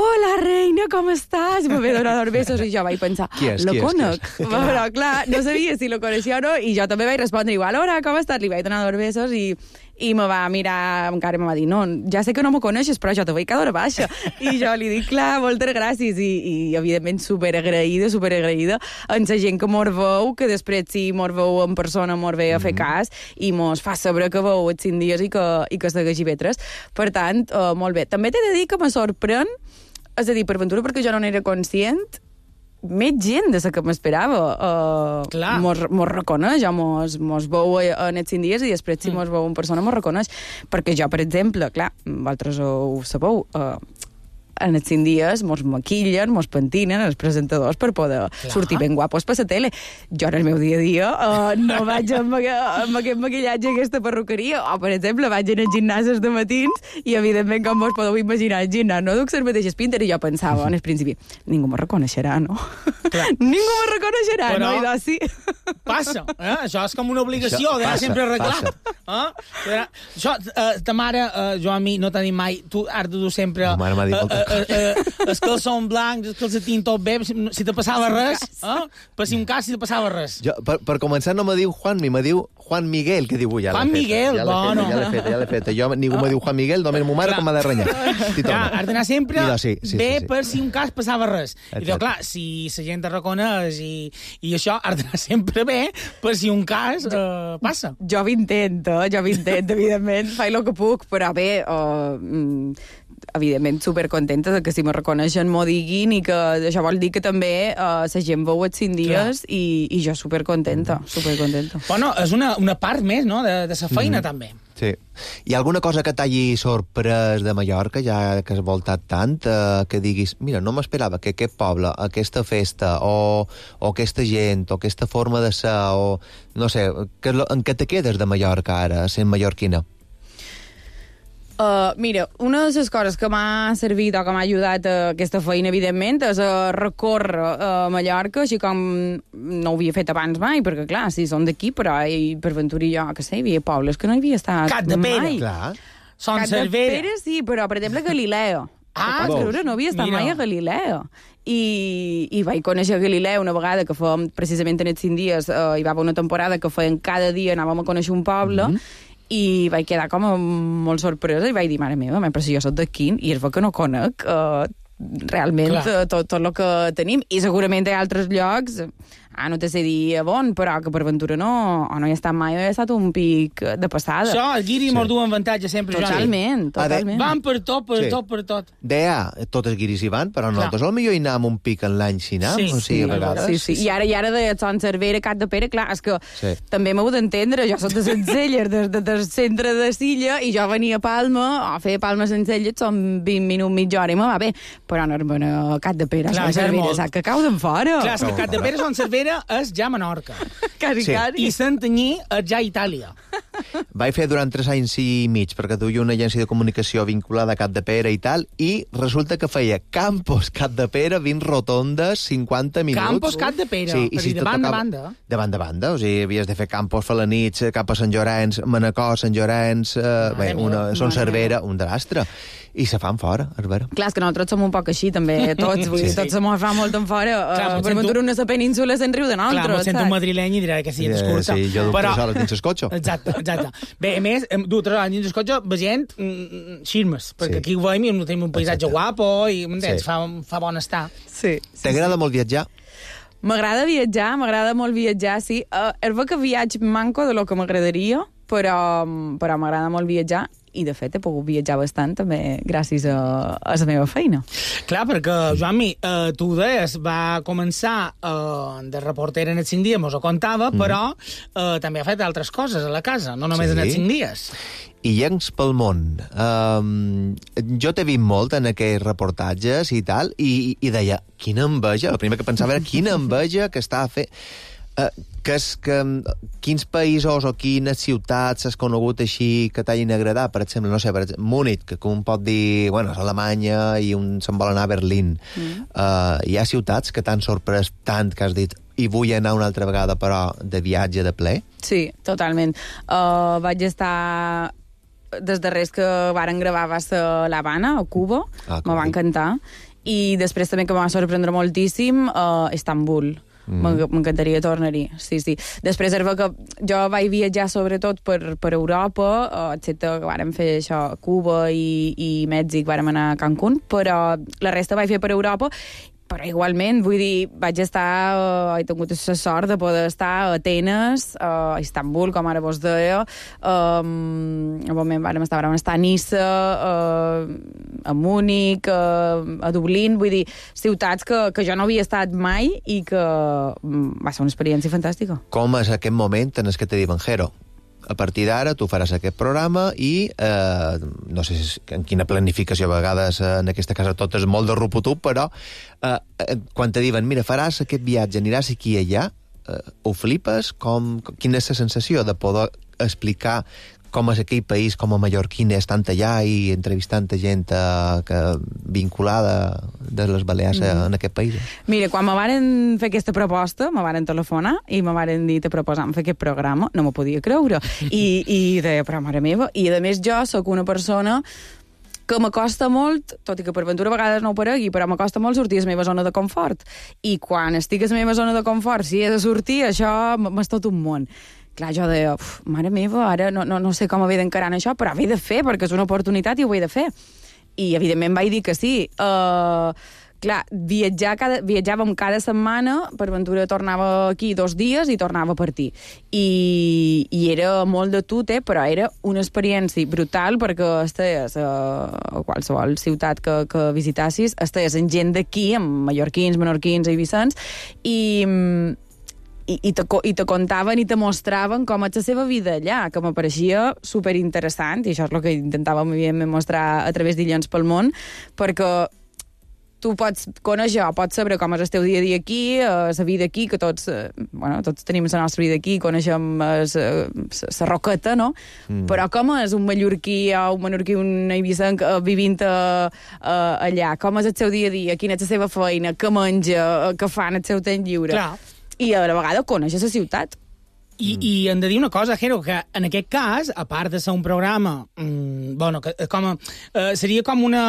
F: hola, reina, com estàs? I me ve donar dos besos, i jo vaig pensar,
E: qui és,
F: lo
E: qui
F: conec.
E: és, qui és?
F: Però, clar, no sabia si lo coneixia o no, i jo també vaig respondre igual, hola, com estàs? Li vaig donar dos besos i i me va mirar encara i me va dir, no, ja sé que no me coneixes, però jo te veig cada hora baixa. I jo li dic, clar, moltes gràcies, i, i evidentment superagraïda, superagraïda en la gent que mos veu, que després si mos veu en persona mos ve a fer cas, i mos fa saber que veu els cinc dies i que, i que segueix I V tres. Per tant, uh, molt bé. També t'he de dir que me sorprèn, és a dir, per ventura, perquè jo no n'era conscient, més gent de la que m'esperava uh, mos, mos reconeix o mos, mos veu en els cinc dies i després si mos veu en persona mos reconeix, perquè jo, per exemple, clar, vosaltres ho sabeu, uh, en els cinc dies mos maquillen, mos pentinen els presentadors per poder clar. Sortir ben guapos per la tele. Jo en el meu dia a dia uh, no vaig amb, amb aquest maquillatge a aquesta perruqueria, o per exemple vaig en els gimnasos de matins i evidentment com vos podeu imaginar el gimnàs no duc les mateixes pintes i jo pensava en el principi, ningú me reconeixerà, no? Ningú me reconeixerà, però... no? I doncs sí.
A: Passa, eh? Això és com una obligació d'anar sempre arreglat. Eh? Això, eh, ta mare, eh, jo a mi no tenim mai, tu has de dur sempre...
E: Ma mare m'ha dit moltes
A: Uh, uh, els calçons blancs, els calcetins tot bé, si, si te passava res, eh? Per si un cas, si te passava res.
E: Jo, per, per començar, no me diu Juanmi, me diu Juan Miguel, que diu, ja
A: Juan Miguel,
E: ja
A: bueno.
E: Ja l'he fet, ja l'he fet. Jo, ningú me diu Juan Miguel, només ma mare com m'ha de renyar.
A: Clar, has d'anar sempre
E: no, sí, sí,
A: bé
E: sí, sí.
A: per si un cas passava res.
E: Exacte.
A: I diu, clar, si la gent te reconeix i, i això, has d'anar sempre bé per si un cas uh, passa.
F: Jo m'intento, jo m'intento, evidentment, faig el que puc, però bé, uh, evidentment supercontenta de que si me reconeixen m'ho diguin i que això vol dir que també uh, la gent veu els cinc dies i, i jo supercontenta, supercontenta.
A: Bueno, és una, una part més, no?, de, de la feina, mm. també.
E: Sí. Hi ha alguna cosa que t'hagi sorprès de Mallorca, ja que has voltat tant, eh, que diguis, mira, no m'esperava que aquest poble, aquesta festa, o, o aquesta gent, o aquesta forma de ser, o no sé, que, en què te quedes de Mallorca ara, sent mallorquina?
F: Uh, mira, una de les coses que m'ha servit o que m'ha ajudat a aquesta feina, evidentment, és a recórrer a Mallorca, així com no ho havia fet abans mai, perquè, clar, sí, són d'aquí, però i per ventura jo, que sé, hi havia pobles que no hi havia estat
A: Cat de Pere,
F: mai.
E: Clar.
A: Son
F: Cat
A: Cervera.
F: de Pere, sí, però, per exemple, Galileo.
A: Ah,
F: pots creure, no havia estat
A: mira.
F: mai a Galileo. I, i vaig conèixer Galileu una vegada que fèiem, precisament en els cinc dies, uh, hi va haver una temporada que feien cada dia, anàvem a conèixer un poble, mm-hmm. i vaig quedar com molt sorpresa i vaig dir, mare meva, però si jo soc d'aquí i és bo que no conec uh, realment uh, tot, tot el que tenim, i segurament hi ha altres llocs, ah, no te sé dir a on, però que per ventura no, o no hi ha estat mai, ha estat un pic de passada.
A: Això, el guiri sí. mos du avantatge sempre,
F: totalment,
A: Joan.
F: totalment.
A: Van per tot, per sí. tot, per tot.
E: Deia, tots els guiris hi van, però nosaltres al millor hi anàvem un pic en l'any sinam,
A: sí,
E: o sigui,
A: sí,
E: a vegades.
F: Sí, sí. I ara, i ara de Son Cervera, Cat de Pere, clar, és que
E: sí.
F: també m'heu d'entendre, jo soc de Sencelles, des de, del centre de Silla, i jo venia a Palma, a fer Palma Sencelles, són vint minuts, mitja hora, i me va bé, però no a Cat de Pere, Son Cervera, saps que cau d'en fora.
A: Clar, és que Cat de Pere, Son Cervera Pere és ja Menorca.
F: Cari,
E: Sí.
F: cari.
A: I Santanyí és ja Itàlia.
E: Vaig fer durant tres anys i mig, perquè duia una agència de comunicació vinculada a Capdepera i tal, i resulta que feia Campos Capdepera, vint rotondes, cinquanta minuts.
A: Campos Capdepera,
E: Sí,
A: per
E: i si
A: dir,
E: te
A: de banda a
E: tocava-
A: banda.
E: De banda a banda, o sigui, havies de fer Campos Falanits, cap a Sant Llorenç, Manacor, Sant Llorenç, eh, bé, una,
A: meva,
E: Son
F: mare
E: Cervera, un drastre. I se fan fora, és vera.
F: Clar, és que nosaltres som un poc així, també, tots. Vull dir,
E: Sí.
F: tots se mos fa molt en fora.
A: Clar,
F: Uh,
A: mos
F: per
A: sento-
F: ventura una sa península se'n riu de
A: Clar,
F: nosaltres,
A: mos sento un madrileny i dirà que sí, és curta.
E: Sí, jo du
A: Però-
E: tres hores dins el cotxe.
A: Exacte, exacte. Bé, a més, em du tres anys dins el cotxe veient mm, xirmes, perquè
E: Sí.
A: aquí ho veiem i tenim un paisatge
E: Exacte.
A: guapo i m'entens,
E: Sí.
A: fa, fa bon estar.
F: Sí. sí
E: T'agrada molt viatjar?
F: M'agrada viatjar, m'agrada molt viatjar, sí. Uh, és ver que viatge manco de lo que m'agradaria, però, però m'agrada molt viatjar i, de fet, he pogut viatjar bastant també gràcies a, a la meva feina.
A: Clar, perquè, Joanmi, eh, tu ho deies, va començar eh, de reportera en els cinc dies, mos ho contava, mm. però eh, també ha fet altres coses a la casa, no només
E: Sí.
A: en els cinc dies.
E: I llencs pel món. Um, jo t'he vist molt en aquests reportatges i tal, i, i deia, quina enveja, el primer que pensava era quina enveja que està a fer... Uh, que és que, quins països o quines ciutats has conegut així que t'hagin agradat? Per exemple, no sé, per exemple, Múnich, que un pot dir, bueno, és Alemanya i un se'n vol anar a Berlín. Mm. Uh, hi ha ciutats que t'han sorprès tant que has dit i vull anar una altra vegada, però de viatge de ple?
F: Sí, totalment. Uh, vaig estar... Des darrers que varen gravar va ser l'Havana, a Cuba,
E: Ah,
F: me va
E: coi.
F: encantar. I després també que em va sorprendre moltíssim, uh, Istanbul. Mm. M'encantaria tornar-hi, sí, sí. Després és que jo vaig viatjar sobretot per, per Europa, uh, excepte que vàrem fer això, Cuba i, i Mèxic, vàrem anar a Cancún, però la resta vaig fer per Europa. Però igualment, vull dir, vaig estar, uh, he tingut la sort de poder estar a Atenes, uh, a Istanbul, com ara vos deia, um, òbviament vam estar, vam estar a Niça, uh, a Múnich, uh, a Dublín, vull dir, ciutats que, que jo no havia estat mai i que um, va ser una experiència fantàstica.
E: Com és aquest moment en el que te diuen, Jero, a partir d'ara tu faràs aquest programa i eh, no sé si, en quina planificació, a vegades eh, en aquesta casa tot és molt de ruputup, però eh, eh, quan te diuen, mira, faràs aquest viatge, aniràs aquí i allà, eh, ho flipes? Com, quina és la sensació de poder explicar com és aquell país, com a mallorquín, estant allà i entrevistant gent eh, que, vinculada de les Balears mm. en aquest país?
F: Mira, quan me varen fer aquesta proposta, me varen telefonar i me varen dir te proposam fer aquest programa, no m'ho podia creure. I, i deia, però mare meva, i a més jo sóc una persona que m'acosta molt, tot i que per ventura a vegades no ho paregui, però m'acosta molt sortir a la meva zona de confort. I quan estic a la meva zona de confort, si he de sortir, això m'és tot un món. Clar, jo deia, mare meva, ara no, no, no sé com haver d'encarar això, però ho he de fer, perquè és una oportunitat i ho he de fer. I, evidentment, vaig dir que sí. Uh, clar, viatjar cada, viatjàvem cada setmana, per ventura tornava aquí dos dies i tornava a partir. I, i era molt de tute, però era una experiència brutal, perquè estàs a, a qualsevol ciutat que, que visitassis, estàs amb gent d'aquí, amb mallorquins, menorquins, eivissans, i... I, i, te, i te contaven i te mostraven com és la seva vida allà, que m'apareixia superinteressant, i això és el que intentàvem mostrar a través d'Illons pel món, perquè tu pots conèixer, pots saber com és el teu dia a dia aquí, la vida aquí, que tots, bueno, tots tenim la nostra vida aquí, coneixem la roqueta, no? Mm. Però com és un mallorquí o un menorquí, un eivissant vivint a, a, allà? Com és el seu dia a dia? Quina és la seva feina? Què menja? Què fa en el seu temps lliure?
A: Clar.
F: I a la vegada coneixes la ciutat.
A: I, I hem de dir una cosa, Jero, que en aquest cas, a part de ser un programa, mmm, bueno, que, com a, eh, seria com una,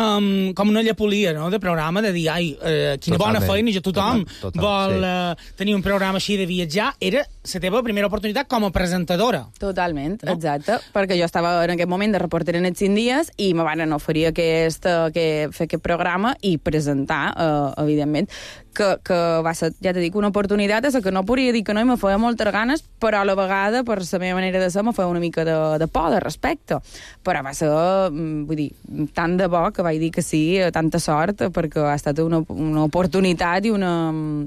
A: com una llepolia, no?, de programa, de dir, ai, eh, quina
E: Totalment.
A: bona feina, jo tothom
E: Total, total,
A: vol
E: sí.
A: eh, tenir un programa així de viatjar, era la teva primera oportunitat com a presentadora.
F: Totalment,
A: No?
F: exacte, perquè jo estava en aquest moment de reporter en els cinc dies i me van oferir aquest, que, fer aquest programa i presentar, eh, evidentment, que, que va ser, ja t'he dit, una oportunitat és que no podria dir que no i me feia moltes ganes, però a la vegada, per la meva manera de ser, me feia una mica de, de por, de respecte. Però va ser, vull dir, tant de bo que vaig dir que sí, tanta sort, perquè ha estat una, una oportunitat i una,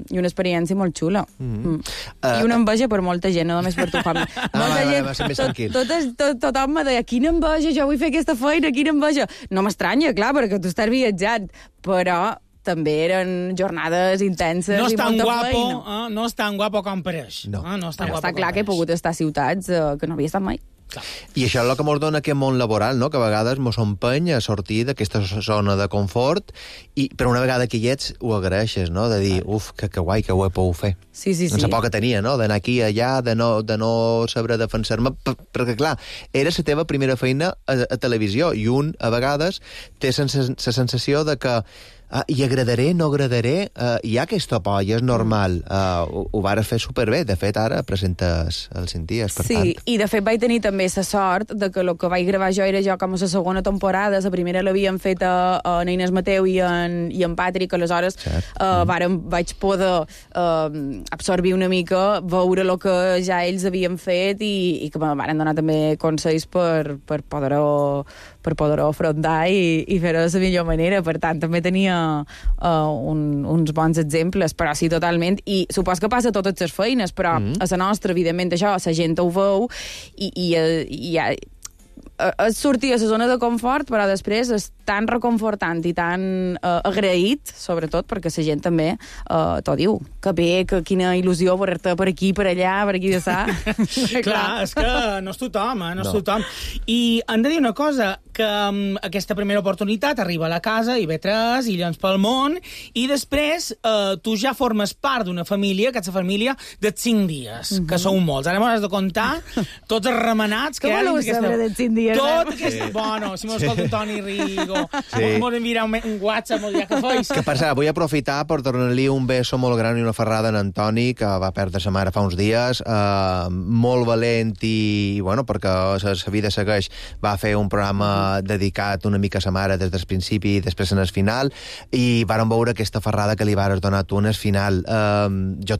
F: i una experiència molt xula. Mm-hmm. Mm. Uh, I una enveja per molta gent, no només per tu, Juanmi. Molta
E: va, va,
F: gent,
E: va ser més
F: tot,
E: tranquil.
F: tot, tot, tothom me deia, quina enveja, jo vull fer aquesta feina, quina enveja. No m'estranya, clar, perquè tu estàs viatjant, però també eren jornades intenses
A: no
F: i
A: tan
F: molta
A: guapo,
F: feina.
A: eh? No és tan guapo com pareix.
E: No.
A: Eh? No és tan
F: Però
A: guapo
F: està
A: com
F: clar que he
A: pareix.
F: pogut estar a ciutats eh, que no havia estat mai.
A: Clar.
E: I això és el que ens dona aquest món laboral, no? Que a vegades ens empeny a sortir d'aquesta zona de confort i, però una vegada que hi ets, ho agraeixes, no? De dir, uf, que, que guai, que ho he pogut fer.
F: Sí, sí, sí.
E: No sé por que tenia, no? D'anar aquí i allà, de no, de no saber defensar-me, per, perquè, clar, era la teva primera feina a, a televisió i un, a vegades, té la sensació de que Uh, hi agradaré, no agradaré, uh, hi ha aquesta por, i és normal. Uh, ho, ho vas fer superbé. De fet, ara presentes els cinc dies, per
F: sí,
E: tant.
F: i de fet vaig tenir també la sort de que el que vaig gravar jo era jo com a la segona temporada, la primera l'havien fet a, a Inés Mateu i en, i en Patrick, aleshores uh, mm. vàrem, vaig poder uh, absorbir una mica, veure el que ja ells havien fet i, i que me van donar també consells per, per poder-ho per poder-ho afrontar i, i fer-ho de la millor manera. Per tant, també tenia uh, un, uns bons exemples, però sí, totalment. I supos que passa a totes les feines, però mm. a la nostra, evidentment, això, la gent ho veu i, i, i, i és sortir a la zona de confort, però després és tan reconfortant i tan uh, agraït, sobretot, perquè la gent també uh, t'ho diu, que bé, que quina il·lusió veure-te per aquí, per allà, per aquí de sa.
A: Clar, és que no és tothom, eh? no és
E: No.
A: tothom. I hem de dir una cosa, que um, aquesta primera oportunitat arriba a la casa, I B tres, i Illes pel món, i després uh, tu ja formes part d'una família, que és la família de cinc dies, mm -hmm. que sou molts. Ara m'has de contar tots els remenats que
F: Com
A: hi ha
F: voleu
A: dins
F: saber de cinc dies?
A: Tot
F: eh?
A: aquest... Sí. Bueno, si m'escolta en Toni Rigo,
E: Sí.
A: m'ho enviarà un, un WhatsApp, m'ho dirà que feis.
E: Que, per cert, vull aprofitar per donar-li un beso molt gran i una ferrada en Antoni, que va perdre sa mare fa uns dies, eh, molt valent i, bueno, perquè sa, sa vida segueix, va fer un programa dedicat una mica a sa mare des del principi i després en el final, i vàrem veure aquesta ferrada que li vares donar tu en el final. Eh, jo,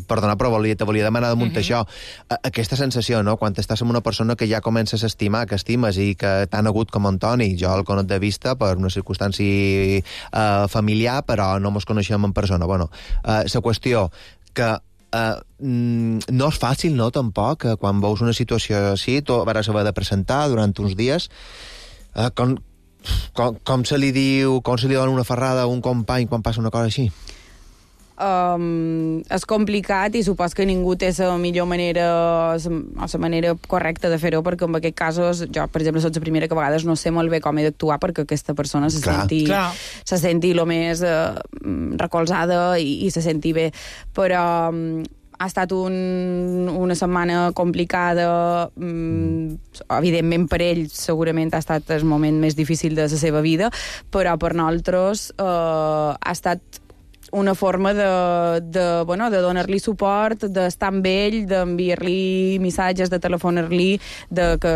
E: perdona, però volia, te volia demanar damunt uh -huh. això. Eh, aquesta sensació, no?, quan estàs amb una persona que ja comences a estimar, que estimes i que tan agut com Antoni, jo el conec de vista per una circumstància uh, familiar, però no mos coneixem en persona. Bueno, uh, la qüestió que uh, no és fàcil, no, tampoc, que quan veus una situació així, tu vas haver de presentar durant uns dies, uh, com, com, com se li diu, com se li dona una ferrada a un company quan passa una cosa així?
F: Um, és complicat i supos que ningú té la millor manera o la manera correcta de fer-ho, perquè en aquests casos, jo, per exemple, soc la primera que a vegades no sé molt bé com he d'actuar perquè aquesta persona se
E: Clar.
F: senti,
A: Clar.
F: se senti el més uh, recolzada i, i se senti bé. Però um, ha estat un, una setmana complicada, mm, evidentment per ell segurament ha estat el moment més difícil de la seva vida, però per nosaltres uh, ha estat una forma de, de, bueno, de donar-li suport, d'estar amb ell, d'enviar-li missatges, de telefonar-li, de que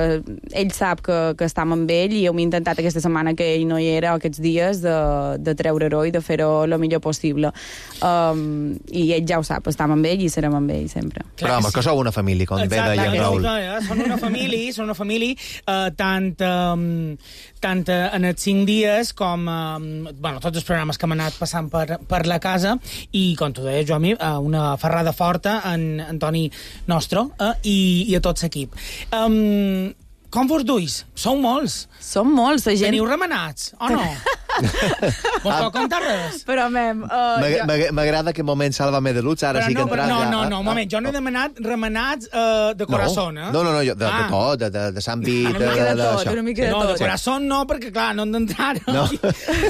F: ell sap que, que estem amb ell, i hem intentat aquesta setmana que ell no hi era, aquests dies, de, de treure-ho i de fer-ho el millor possible. Um, I ell ja ho sap, estem amb ell i serem amb ell sempre.
E: Clar, però home, que sou una família, com bé
A: Exacte,
E: deia en
A: és
E: Raül.
A: que, eh, són una família, són una família eh, tant, eh, tant eh, en els cinc dies com eh, bueno, tots els programes que hem anat passant per, per la casa, i com tu deies, Joami, eh, una ferrada forta en Antoni nostre eh, i, i a tot l'equip. Um, com vos duis? Sou molts.
F: Som molts, la gent...
A: Teniu remenats, o no? Vos pot contar res?
F: Però, mem... Uh,
E: M'ag-
F: jo...
E: m'ag- M'agrada aquest moment Sálvame de Lutz, ara
A: Però
E: sí que
A: no, però
E: entras
A: no,
E: ja.
A: no, no, un moment, jo no he demanat remenats uh, de corazón, eh?
E: No, no, no, jo, de,
A: Ah.
E: de tot, de, de, de l'àmbit...
F: Una mica de tot,
E: d'això.
F: una mica de
A: No, de
F: tot.
A: corazón no, perquè clar, no hem d'entrar.
E: No.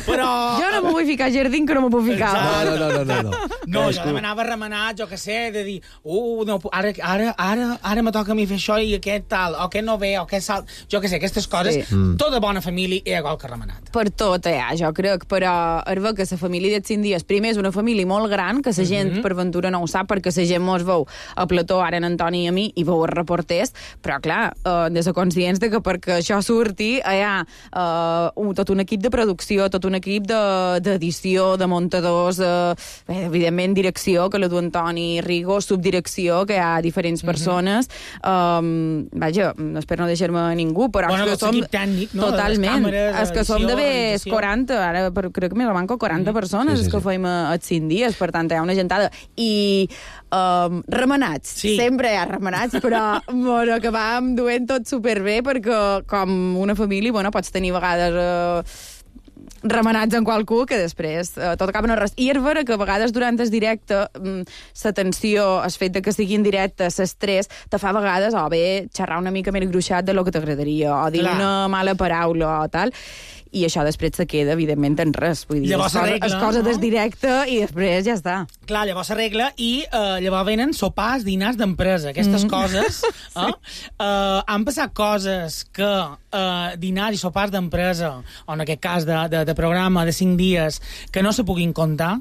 A: Però...
F: Jo no m'ho vull ficar a jardín, que no m'ho puc ficar.
E: No, no, no, no, no.
A: No, jo demanava remenat, jo què sé, de dir, uh, no, ara, ara, ara, ara me toca a mi fer això i aquest tal, o aquest no ve, o aquest salt... Jo què sé, aquestes coses,
F: Sí.
A: mm. tota bona família és igual que remenat.
F: Per tot, eh, jo crec, però és ver que la família dels cinc dies, primer és una família molt gran, que la gent,
A: Mhm.
F: per ventura, no ho sap, perquè la gent mos veu a plató, ara en Antoni i a mi, i veu els reporters, però, clar, eh, de ser conscients de que perquè això surti, hi ha eh, un, tot un equip de producció, tot un equip de- d'edició, de, de muntadors, eh, bé, evidentment, direcció, que la du Antoni Rigo, subdirecció, que hi ha diferents persones. Um, vaja, espero no deixar-me ningú, però
A: Bueno,
F: és que
A: tot
F: som...
A: l'equip tècnic, no?
F: Totalment.
A: Les càmeres,
F: És que som
A: edició,
F: d'haver
A: realització.
F: quaranta, ara per, crec que me la manco quaranta persones
E: Sí, sí,
F: sí, que
E: sí.
F: feim a, a cinc dies, per tant, hi ha una gentada. I um, remenats,
A: Sí.
F: sempre hi ha remenats, però bueno, acabàvem duent tot superbé, perquè com una família, bueno, pots tenir a vegades... Uh, remenats en qualcú que després eh, tot acaba no res. I és vera que a vegades durant el directe la tensió, el fet de que sigui en directe, l'estrès, te fa a vegades o bé xerrar una mica més gruixat de lo que t'agradaria, o dir Clar. una mala paraula o tal, i això després se queda, evidentment, en res. Vull dir,
A: llavors
F: es cosa,
A: arregla,
F: es cosa
A: no?
F: des directe i després ja està.
A: Clar, llavors s'arregla i uh, llavors venen sopars, dinars d'empresa. Aquestes mm. coses, eh? sí. uh, han passat coses que uh, dinars i sopars d'empresa, o en aquest cas de, de, de programa de cinc dies, que no se puguin comptar?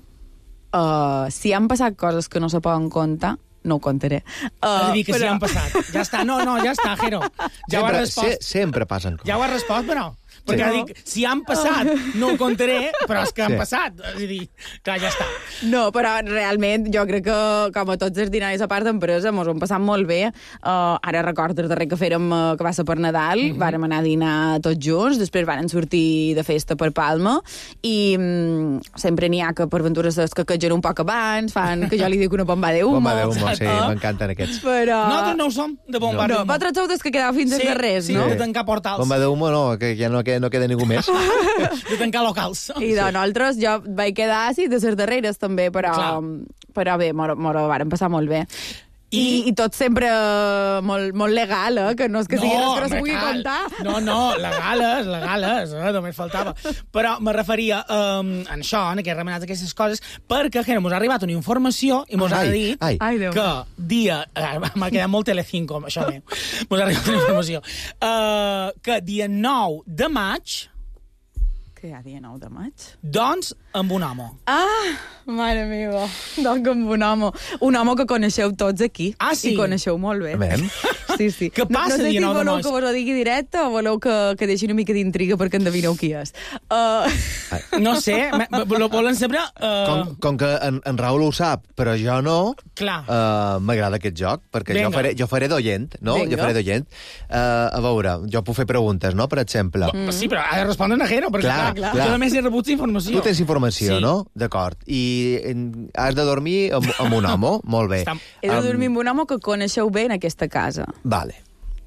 F: Uh, si han passat coses que no se poden comptar, no ho contaré.
A: És
F: Uh,
A: a dir, que però... si han passat. Ja està, no, no, ja està, Jero. Ja
E: sempre,
A: ho has respost.
E: Se, sempre passen coses.
A: Ja ho has respost, però... Perquè
F: Sí.
A: dic, si han passat, no ho contaré, però és que han
E: Sí.
A: passat. És a dir, clar, ja està.
F: No, però realment jo crec que, com a tots els dinaris a part d'empresa, mos ho hem passat molt bé. Uh, ara recordo el darrer que fèrem, uh, que va ser per Nadal, mm -hmm. vàrem anar a dinar tots junts, després varen sortir de festa per Palma, i um, sempre n'hi ha que per aventures que quegen un poc abans, fan que jo li dic una bomba de humo.
E: Bomba de humo, sí, m'encanten aquests.
F: Però...
A: Nosaltres no ho som, de bomba
F: No,
A: de humo.
F: vosaltres sou des que quedeu fins
A: Sí,
F: als darrers,
A: sí,
F: no?
A: de tancar portals.
E: Bomba de humo no, que ja no queda, no queda ningú més.
A: De tancar locals.
F: I de nosaltres jo vaig quedar sí, de les darreres també, però,
A: Clar.
F: però bé, m'ho m'ho varen passar molt bé. I,
A: I-
F: I tot sempre eh, molt, molt legal, eh? Que no és que sigui res que no s'ho
A: home,
F: pugui
A: cal.
F: contar.
A: No, no, legales, legales, eh? Només faltava. Però me referia um, en això, en aquests remenats, aquestes coses, perquè que mos ha arribat una informació i mos ha
E: Ai,
A: dit
E: ai.
F: Ai, Déu.
A: que dia... eh, M'ha quedat molt Telecinco, això meu. Mos ha arribat una informació. Uh, que dia nou de maig,
F: Que hi ha dia nou de maig?
A: doncs, amb un home.
F: Ah, mare meva, doncs amb un home. Un home que coneixeu tots aquí.
A: Ah, sí?
F: I coneixeu molt bé.
E: Amen.
F: Sí, sí.
A: Què passa
F: no, no sé
A: dia
F: si
A: nou de
F: voleu
A: maig?
F: que vos ho digui directe o voleu que, que deixi una mica d'intriga perquè endevineu qui és. Uh...
A: No sé, me- me- lo volen saber... Uh,
E: Com, com que en, en Raül ho sap, però jo no,
A: Clar.
E: uh, m'agrada aquest joc, perquè
A: Vinga.
E: jo faré, jo faré d'oient, no?
F: Vinga.
E: Jo faré d'oient. Uh, a veure, jo puc fer preguntes, no?, per exemple.
A: Mm. Sí, però ha de respondre a Jero, perquè
E: Clar,
A: clar,
E: clar.
A: jo només he rebut informació.
E: Tu tens informació,
A: Sí.
E: no? D'acord. I en, has de dormir amb, amb un home? Molt bé.
A: Està-
F: He de
E: Am,
F: dormir amb un home que coneixeu bé en aquesta casa.
E: Vale.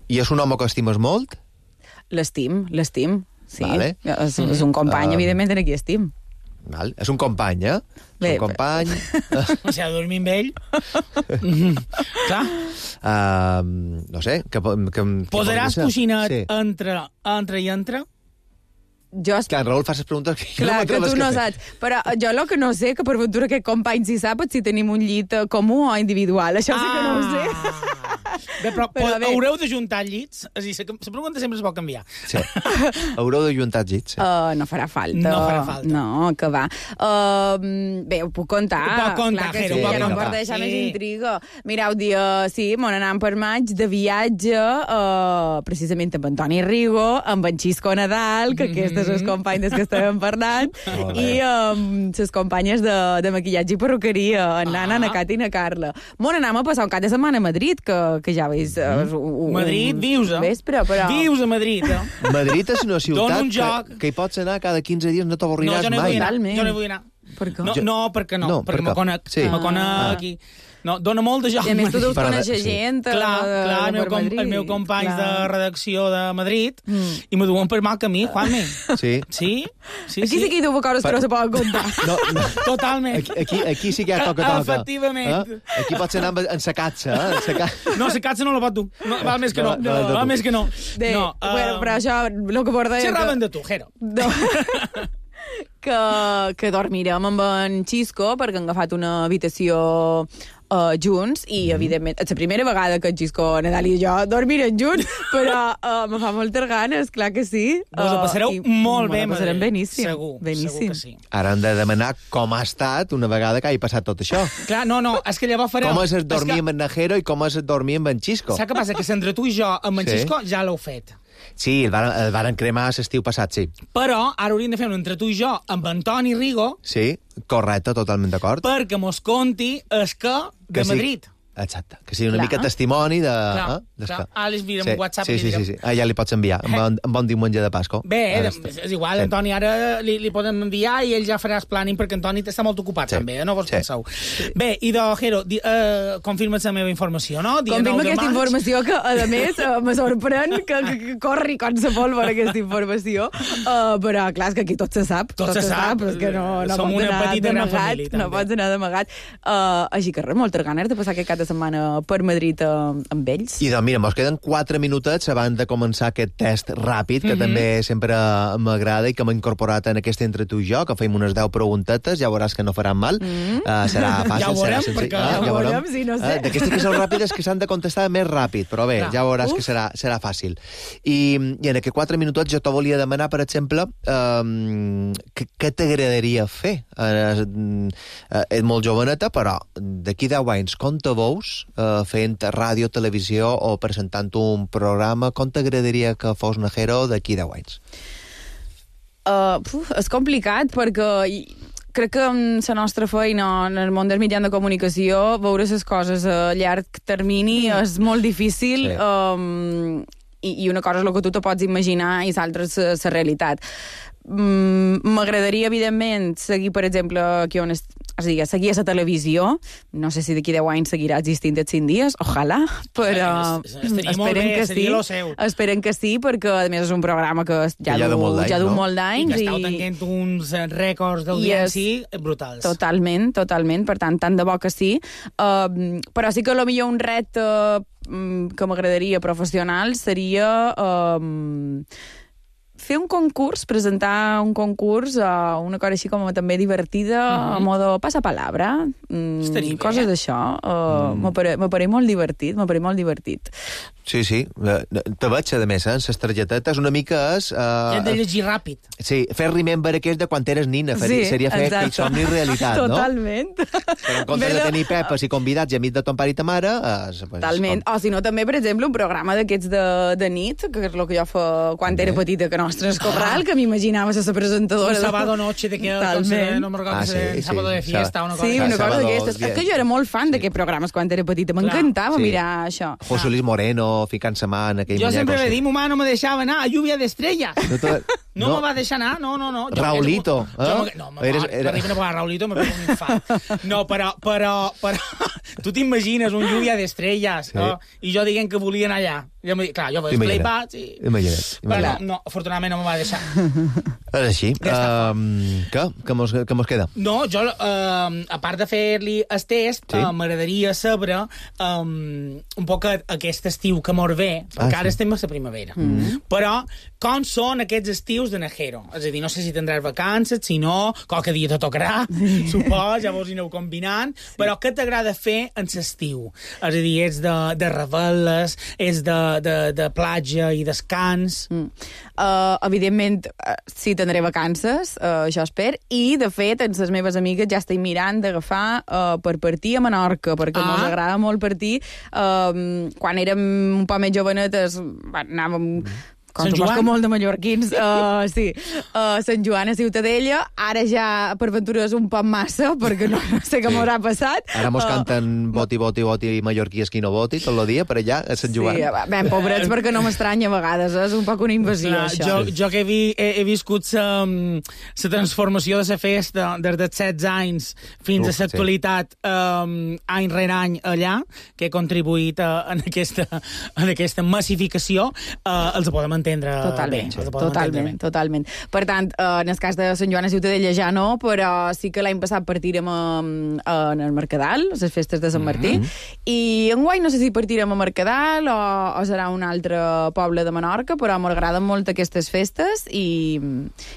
E: I és un home que estimes molt?
F: L'estim, l'estim. Sí.
E: Vale.
F: És, és un company,
E: Um,
F: evidentment, en qui estim.
E: Val. És un company, eh?
F: Bé,
E: és un company...
A: O sigui, ha de dormir amb ell. Mm, clar.
E: uh, no sé, que, que, que
A: Posaràs
E: que
A: coixinet
E: Sí.
A: entre, entre i entre?
F: Jo
E: Que en Raül fa les preguntes que jo
F: Clar,
E: no
F: que
E: m'atreves
F: tu no
E: a fer.
F: saps. Però jo el que no sé, que per ventura aquest company si sap, és si tenim un llit eh, comú o individual. Això sí que no ho sé.
A: Bé, però,
F: Però
A: però
F: bé.
A: haureu de juntar llits? És a dir, la la pregunta sempre es pot canviar.
E: Sí. Haureu de juntar llits, sí.
F: Uh, no farà falta.
A: No farà falta.
F: No, que va. Uh, bé, ho puc contar.
A: Ho pot contar,
F: Clar que
A: Jero,
F: sí,
E: ho pot
F: ja no em
E: contar.
F: pot deixar
A: Sí.
F: més intriga. Mireu, dia, sí, mon anant per maig de viatge, uh, precisament amb Antoni Rigo, amb en Xisco Nadal, que aquest és el company des que estàvem parlant,
E: Molt bé.
F: i amb les companyes de, de maquillatge i perruqueria, en Nana,
A: Ah.
F: na Cata i na Carla. Mon anàvem a passar un cap de setmana a Madrid, que, que ja veus... Uh, un,
A: Madrid, vius, eh?
F: Vespre, però...
A: Vius a Madrid, eh?
E: Madrid és una ciutat
A: Dona un joc.
E: que, que hi pots anar cada quinze dies, no
A: No,
E: t'avorriràs
A: jo no hi
E: mai.
A: vull anar.
F: Realment.
A: Jo no hi vull anar.
F: Per què?
A: No,
E: Jo-
A: no, perquè no,
E: No,
A: perquè
E: per
A: me
E: què?
A: conec,
E: Sí.
A: me conec
E: Ah.
A: aquí. No, dona molt de joc.
F: I a més tu deus
E: Però de-
F: conèixer
E: sí.
F: gent eh,
A: Clar,
F: de,
A: clar, el
F: de
A: meu,
F: per
A: com,
F: Madrid.
A: el meu company
F: Clar.
A: de redacció de Madrid,
F: Mm.
A: i me duen per mal camí, Juanmi.
E: Sí.
A: Sí? Sí,
F: Aquí sí que hi deu coses que no se poden contar.
E: No, no.
A: Totalment.
E: Aquí, aquí, aquí sí que hi ha toca toca.
A: Efectivament.
E: Eh? Aquí pots anar amb, en sa catxa, eh? En sa ca...
A: No, si catxa no la pot dur. No, val més que no.
E: No, no, no,
A: val
E: no.
A: més que no.
F: De,
A: no,
F: bueno,
A: eh,
F: però això, el que porta...
A: xerraven de tu, Jero.
F: No. que, que dormirem amb en Xisco perquè han agafat una habitació uh, junts i, mm. evidentment, és la primera vegada que en Xisco, Nadal i jo dormirem junts, però uh, me fa moltes ganes, clar que sí.
A: Vos ho passareu
F: i
A: molt bé,
F: me ho passarem
A: Madrid.
F: beníssim.
A: Segur,
F: beníssim.
A: segur que sí.
E: Ara hem de demanar com ha estat una vegada que hagi passat tot això.
A: Clar, no, no, és que llavors fareu...
E: Com és el dormir
A: que-
E: amb en Najero i com és el dormir amb en Xisco.
A: Saps què passa? Que entre tu i jo, amb en
E: Sí.
A: Xisco, ja l'heu fet.
E: Sí, el varen, el varen cremar l'estiu passat, sí.
A: Però ara hauríem de fer un entre tu i jo amb Antoni Rigo
E: Sí, correcte, totalment d'acord.
A: perquè mos conti el que de
E: Que sí.
A: Madrid.
E: Exacte, que sigui una
F: Clar.
E: mica testimoni de...
A: Clar,
E: eh?
A: clar. Àlex, mira'm
E: sí,
A: un WhatsApp
E: sí,
A: i li
E: sí,
A: direm.
E: sí, sí. Ah, ja li pots enviar, amb bon, amb bon diumenge de Pasco.
A: Bé,
E: Ara
A: és,
E: està.
A: és igual,
E: Sí.
A: Antoni, ara li, li podem enviar i ell ja farà el planning, perquè Antoni està molt ocupat
E: Sí.
A: també, eh? No vos
E: Sí.
A: penseu. Bé, i de Jero, di, uh, confirma't la meva informació, no? Dia
F: Confirma
A: nou de
F: aquesta
A: maig.
F: informació que, a més, uh, me sorprèn que, que, que corri com sa pólvora aquesta informació, uh, però clar, és que aquí tot se sap.
A: Tot se sap.
F: és que no, no
A: Som
F: pots
A: una
F: anar
A: petita gran
F: d'amagat,
A: família, també.
F: no pots anar d'amagat. Uh, així que res, moltes ganes de passar aquest cap de setmana per Madrid uh, amb ells.
E: I doncs, mira, mos queden quatre minutets abans de començar aquest test ràpid, que
A: Mhm.
E: també sempre m'agrada i que m'ha incorporat en aquest entre tu i jo, que fem unes deu preguntetes, ja veuràs que no faran mal.
F: Mhm.
E: Uh, serà fàcil,
A: Ja ho veurem,
E: serà senzill.
A: perquè-
E: Ah,
F: Ja ho veurem, sí, no sé.
E: Uh, D'aquestes que són ràpides que s'han de contestar més ràpid, però bé,
A: Clar.
E: ja veuràs
F: Uf.
E: que serà, serà fàcil. I, I en aquests quatre minutets jo te volia demanar, per exemple, um, què, què t'agradaria fer? Uh, uh, ets molt joveneta, però d'aquí deu anys, com te veus uh, fent ràdio, televisió o presentant un programa? Com t'agradaria que fos Najero d'aquí deu anys?
F: Uh, puf, és complicat perquè i, crec que amb la nostra feina en el món dels mitjans de comunicació veure les coses a llarg termini és molt difícil.
E: Sí.
F: um, i, i una cosa és el que tu te pots imaginar i l'altra és la realitat. Mm, m'agradaria, evidentment, seguir, per exemple, aquí on es, és a dir, seguir a la televisió. No sé si d'aquí deu anys seguirà existint els cinc dies, ojalà, però
A: Home, es- estaria molt
F: esperen
A: bé,
F: que
A: seria
F: sí.
A: lo seu.
F: Esperen que sí, perquè, a més, és un programa que ja,
E: Que ja
F: du,
E: du molt d'anys,
F: ja du
E: no?
F: molt
A: I
F: d'anys.
A: que estàu tanquent uns eh, rècords d'audiència brutals.
F: Totalment, totalment, per tant, tant de bo que sí. Uh, però sí que potser un repte uh, que m'agradaria professional seria uh, fer un concurs, presentar un concurs, uh, una cosa així com també divertida, uh-huh. a modo passapalabra, um,
A: Estaria bé.
F: coses d'això. Uh, mm. M'apare- M'apareix molt divertit, m'apareix molt divertit.
E: Sí, sí. Eh, Te veig, a més, eh, en les targetetes. Una mica és...
A: I hem de
E: Uh,
A: llegir ràpid.
E: sí, fer remember aquest de quan eres nina. Fer, seria fer aquell somni realitat, no?
F: Totalment.
E: Però en comptes de
F: Però-
E: tenir pepes i convidats i amics de ton pare i ta mare... Eh, pues,
F: Totalment. O si no, també, per exemple, un programa d'aquests de, de nit, que és el que jo fa quan
E: També.
F: era petita, que nostres Corral, que m'imaginava ser la presentadora.
A: Un sábado noche de que
F: Totalment.
A: no me recordo
E: Ah,
A: que
E: sí,
A: era
E: sí.
A: sábado de fiesta, una cosa
F: Sí,
E: Sábado,
F: una cosa d'aquestes.
E: bien.
F: És que jo era molt fan d'aquests programes quan era petita. M'encantava
E: Sí.
F: mirar això.
E: José Luis Moreno ficant sa mà en aquell
A: Jo sempre
E: muñeco,
A: le
E: sí.
A: di, mamá no me deixava anar a lluvia d'estrelles.
E: No, te...
A: No, no me va deixar anar, no, no, no. Jo-
E: Raulito,
A: jo-
E: eh?
A: me- No, me
E: Eres-
A: Eres,
E: era-
A: era... a Raulito me pego un infart. No, però, però, però tu t'imagines un lluvia d'estrelles,
E: Sí.
A: no? I jo dient que volia anar allà. Jo, me- clar, jo vaig
E: Imagina't.
A: flipar, sí.
E: Imagina't.
A: Però
E: imagina't.
A: no, no, afortunadament no me va deixar.
E: És així.
A: Ja està.
E: Um, què? Què mos, què mos queda?
A: No, jo, eh, a part de fer-li el test,
E: Sí.
A: eh, m'agradaria saber um, un poc aquest estiu que mor ve, perquè
E: Ah,
A: ara
E: sí.
A: estem a la primavera. Mm. Però com són aquests estius de Najero? És a dir, no sé si tindràs vacances, si no, qualque dia te tocarà, supos, llavors hi aneu combinant, sí. Però què t'agrada fer en l'estiu? És a dir, ets de, de revel·les, ets de, de, de platja i descans...
F: Mm. Uh, evidentment, uh, sí, tindré vacances, uh, això espero, i, de fet, amb les meves amigues ja estic mirant d'agafar uh, per partir a Menorca, perquè
A: Ah.
F: mos agrada molt partir. Uh, quan érem un poc més jovenetes, va, anàvem... Com
A: Sant
F: suposo
A: Joan?
F: que molt de mallorquins, uh, sí. Uh, Sant Joan a Ciutadella, ara ja per aventura és un poc massa, perquè no, no sé què
E: Sí.
F: m'haurà passat.
E: Ara mos
F: Uh,
E: canten boti, boti, boti i mallorquí esquí no boti tot el dia per allà a Sant Joan.
F: Sí, ben pobrets, perquè no m'estranya a vegades, és un poc una invasió,
A: Clar,
F: això.
A: jo, jo que he, vi, he, he viscut la transformació de la festa des dels setze anys fins
E: Uf,
A: a l'actualitat, um, any rere any allà, que he contribuït a, en, aquesta, en aquesta massificació, uh, els podem entendre
F: Totalment,
A: bé. Els podem entendre
F: totalment,
A: bé.
F: totalment. Per tant, eh, en el cas de Sant Joan a Ciutadella ja no, però sí que l'any passat partirem a, a, en el Mercadal, a les festes de Sant Martí, mm -hmm. i enguany no sé si partirem a Mercadal o, o serà un altre poble de Menorca, però m'agraden molt aquestes festes i,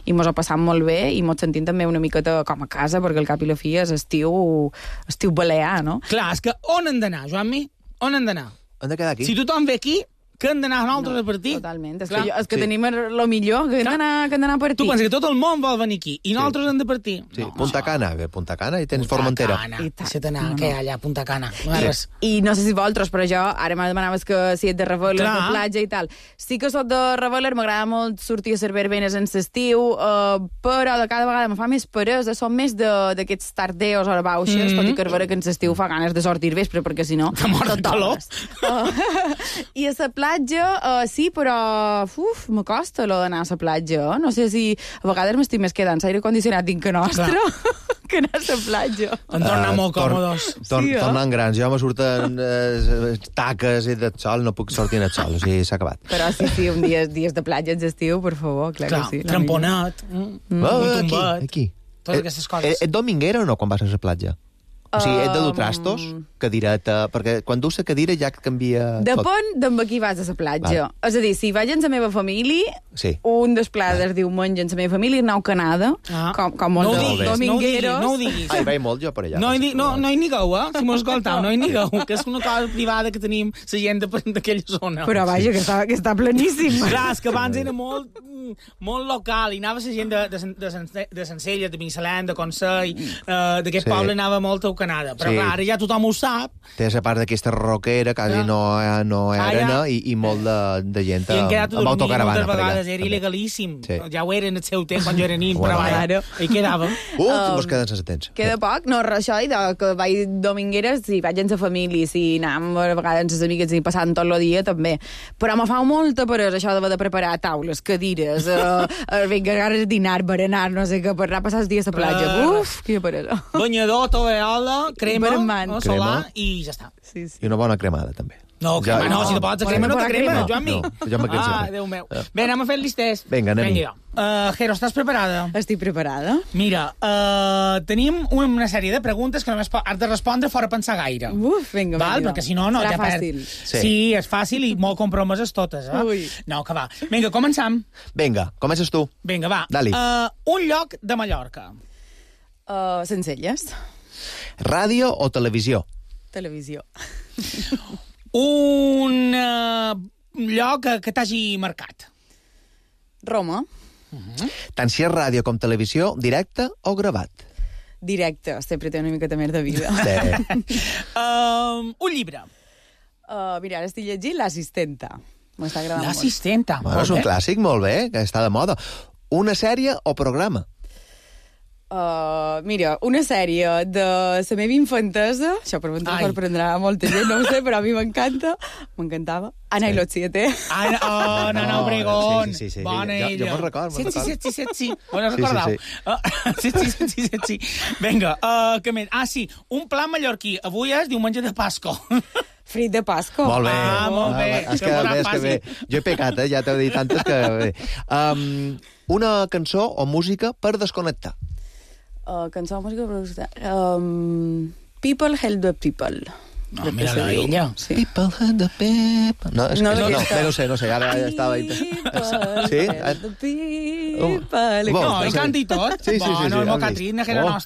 F: i mos ho passam molt bé i mos sentim també una miqueta com a casa, perquè al cap i la fi és estiu, estiu balear, no?
A: Clar, és que on hem d'anar, Joanmi? On hem d'anar?
E: Hem de quedar aquí?
A: Si tothom ve aquí, que hem d'anar nosaltres a partir.
F: Totalment. És
A: Clar.
F: que, jo, és que
E: Sí.
F: tenim lo millor, que hem d'anar que hem d'anar a partir.
A: Tu penses que tot el món vol venir aquí i nosaltres hem de partir?
E: Sí, Punta Cana, bé, Punta Cana, i tens Formentera.
A: Cana.
F: I tant.
A: Si d'anar,
F: No, no.
A: què hi ha allà a Punta Cana? No hi ha
E: Sí.
A: res.
F: I no sé si vosaltres, però jo, ara me demanaves que si ets de Reveler,
A: Clar.
F: de platja i tal. Sí que soc de Reveler, m'agrada molt sortir a ser verbenes en l'estiu, uh, però de cada vegada me fa més peresa, som més de- d'aquests tardeos hora baixes, mm -hmm. tot i que és vera que en l'estiu fa ganes de sortir al vespre, perquè si no...
A: Te mors de
F: tot
A: calor.
F: tomes. Uh, I a la platja, uh, sí, però uf, me costa lo d'anar a la platja. No sé si a vegades m'estic més quedant l'aire condicionat dintre nostre que anar a la platja.
A: En tornar
E: Eh,
A: molt
E: tor-
A: còmodes.
E: Tor
F: Sí, eh?
E: Tornant grans. Jo me surten eh, taques i del sol, no puc sortir en el sol, o sigui, s'ha acabat.
F: Però sí, sí, un dia, dies de platja en estiu, per favor, clar,
A: Clar,
F: que sí. la
A: tramponet, mm.
E: Mm.
A: un
E: aquí,
A: tombet,
E: aquí.
A: totes
E: Eh,
A: aquestes coses.
E: Eh, ets dominguera o no, quan vas a la platja? O sigui, ets de dur
F: Um,
E: trastos, cadireta... Perquè quan dus la cadira ja canvia tot.
F: Depèn d'amb a qui vas a la platja.
E: Val.
F: És a dir, si vaig amb la meva família,
E: Sí.
F: un dels plats del diumenge amb la meva família és anar a Canada,
A: Ah.
F: com, com molt
A: No ho
F: de
A: diguis, no ho diguis,
F: domingueros.
A: no ho diguis.
E: Ai, vaig molt jo per allà.
A: No hi, di- no, no hi nigueu, eh? Si m'ho escoltau, no hi nigueu, que és una cosa privada que tenim la gent de- d'aquella zona.
F: Però vaja, que està, que està pleníssim.
A: Clar, és que abans era molt, mm, molt local i anava la gent de, de, Sen- de, Sen- de Sencelles, de Binissalem, de Consell, eh, d'aquest
E: Sí.
A: poble anava molt a Canada. Però
E: Sí.
A: clar, ara ja tothom ho sap.
E: Té la part d'aquesta roquera, quasi
A: Clar.
E: no, hi ha- no hi ha
A: Ah, ja.
E: arena, i, i molt de, de gent
A: I hem
E: amb,
A: quedat a
E: amb
A: dormir
E: autocaravana
A: moltes
E: per allà.
A: vegades, era
E: també.
A: il·legalíssim.
E: Sí.
A: Ja ho era en el seu temps, quan jo era nin,
E: Bueno,
A: però vaja,
F: claro.
A: hi quedàvem.
E: Uh,
F: Um,
E: mos queden sense temps.
F: Queda poc? No, res, això, i de, que vaig domingueres, si vaig amb la família, si anàvem a vegades amb les amigues i passant tot el dia, també. Però me fa molta peresa això d'haver de preparar taules, cadires, uh, uh, vinga, ganes de dinar, berenar, no sé què, per anar a passar els dies a la platja.
A: Res.
F: Uf, quina peresa.
A: Banyador, tovallola, crema,
F: Vermant.
A: no,
E: Crema.
A: solar i ja està.
F: Sí, sí.
E: I una bona cremada, també.
A: No,
E: Ja-
A: crema, no, si te pots a crema, no te crema,
E: No,
A: Joan Mi.
E: no, jo me crec
A: Ah,
E: sempre.
A: Déu meu. Bé, anem a fer el listès.
E: Vinga, anem-hi.
A: Vinga, uh, Jero, estàs preparada?
F: Estic preparada.
A: Mira, uh, tenim una sèrie de preguntes que només po- has de respondre fora pensar gaire.
F: Uf, vinga,
A: Val?
F: vinga.
A: Perquè si no, no,
F: Serà
A: ja perd.
F: fàcil.
E: Sí.
A: Sí, és fàcil i molt compromeses totes, eh?
F: Ui.
A: No, que va. Vinga, començam.
E: Vinga, comences tu.
A: Vinga, va.
E: Dali.
A: Uh, un lloc de Mallorca.
F: Uh, Sencelles.
E: Ràdio o televisió?
F: Televisió.
A: Un uh, lloc que, que t'hagi marcat.
F: Roma.
E: Tant si és ràdio com televisió, directe o gravat?
F: Directe. Sempre té una miqueta més de vida.
E: Sí.
A: Uh, un llibre.
F: Uh, mira, ara estic llegint L'assistenta. M'està agradant molt.
A: L'assistenta.
E: Bueno, és un clàssic, molt bé, que està de moda. Una sèrie o programa?
F: Uh, mira, una sèrie de la meva infantesa, això per ventre
A: Ai.
F: sorprendrà a molta gent, no ho sé, però a mi m'encanta, m'encantava. Ana
E: Sí.
F: i los siete.
A: Ah, no, oh, no, no,
E: No,
A: Obregón.
E: sí, sí, sí, sí.
A: Bona
E: Jo- jo
A: ella.
E: me'n record, me'n
A: Sí, sí,
E: record.
A: sí, sí, sí. Ho
E: Sí, sí,
A: recordau?
E: sí.
A: Ah, sí, sí, sí, sí, sí, sí. Vinga, uh, què més? Ah, sí, un plat mallorquí. Avui és diumenge de Pasco.
F: Frit de Pasco.
E: Molt bé.
A: Ah, molt bé.
E: és
A: Que
E: que,
A: bona
E: bé, és que bé.
A: fàcil.
E: Jo he pecat, eh? Ja t'he dit tantes que... Bé. Um, una cançó o música per desconnectar.
F: Uh, cançó, música, producció. Um, people help the people.
A: No,
F: Crec que
A: mira-la,
F: se diu.
A: ella.
F: Sí.
E: People had the people... No, és
F: No,
E: que, no, no,
F: aquesta.
E: bé, no sé, no sé, ara ja estava...
F: People
E: Sí?
F: help the people.
E: Bo,
A: No, i
E: sí.
A: canta i tot.
E: Sí, sí, sí, sí.
A: Bueno, el
E: has
A: Mocatrín,
E: vist.
A: que era
E: Oh.
A: nostre.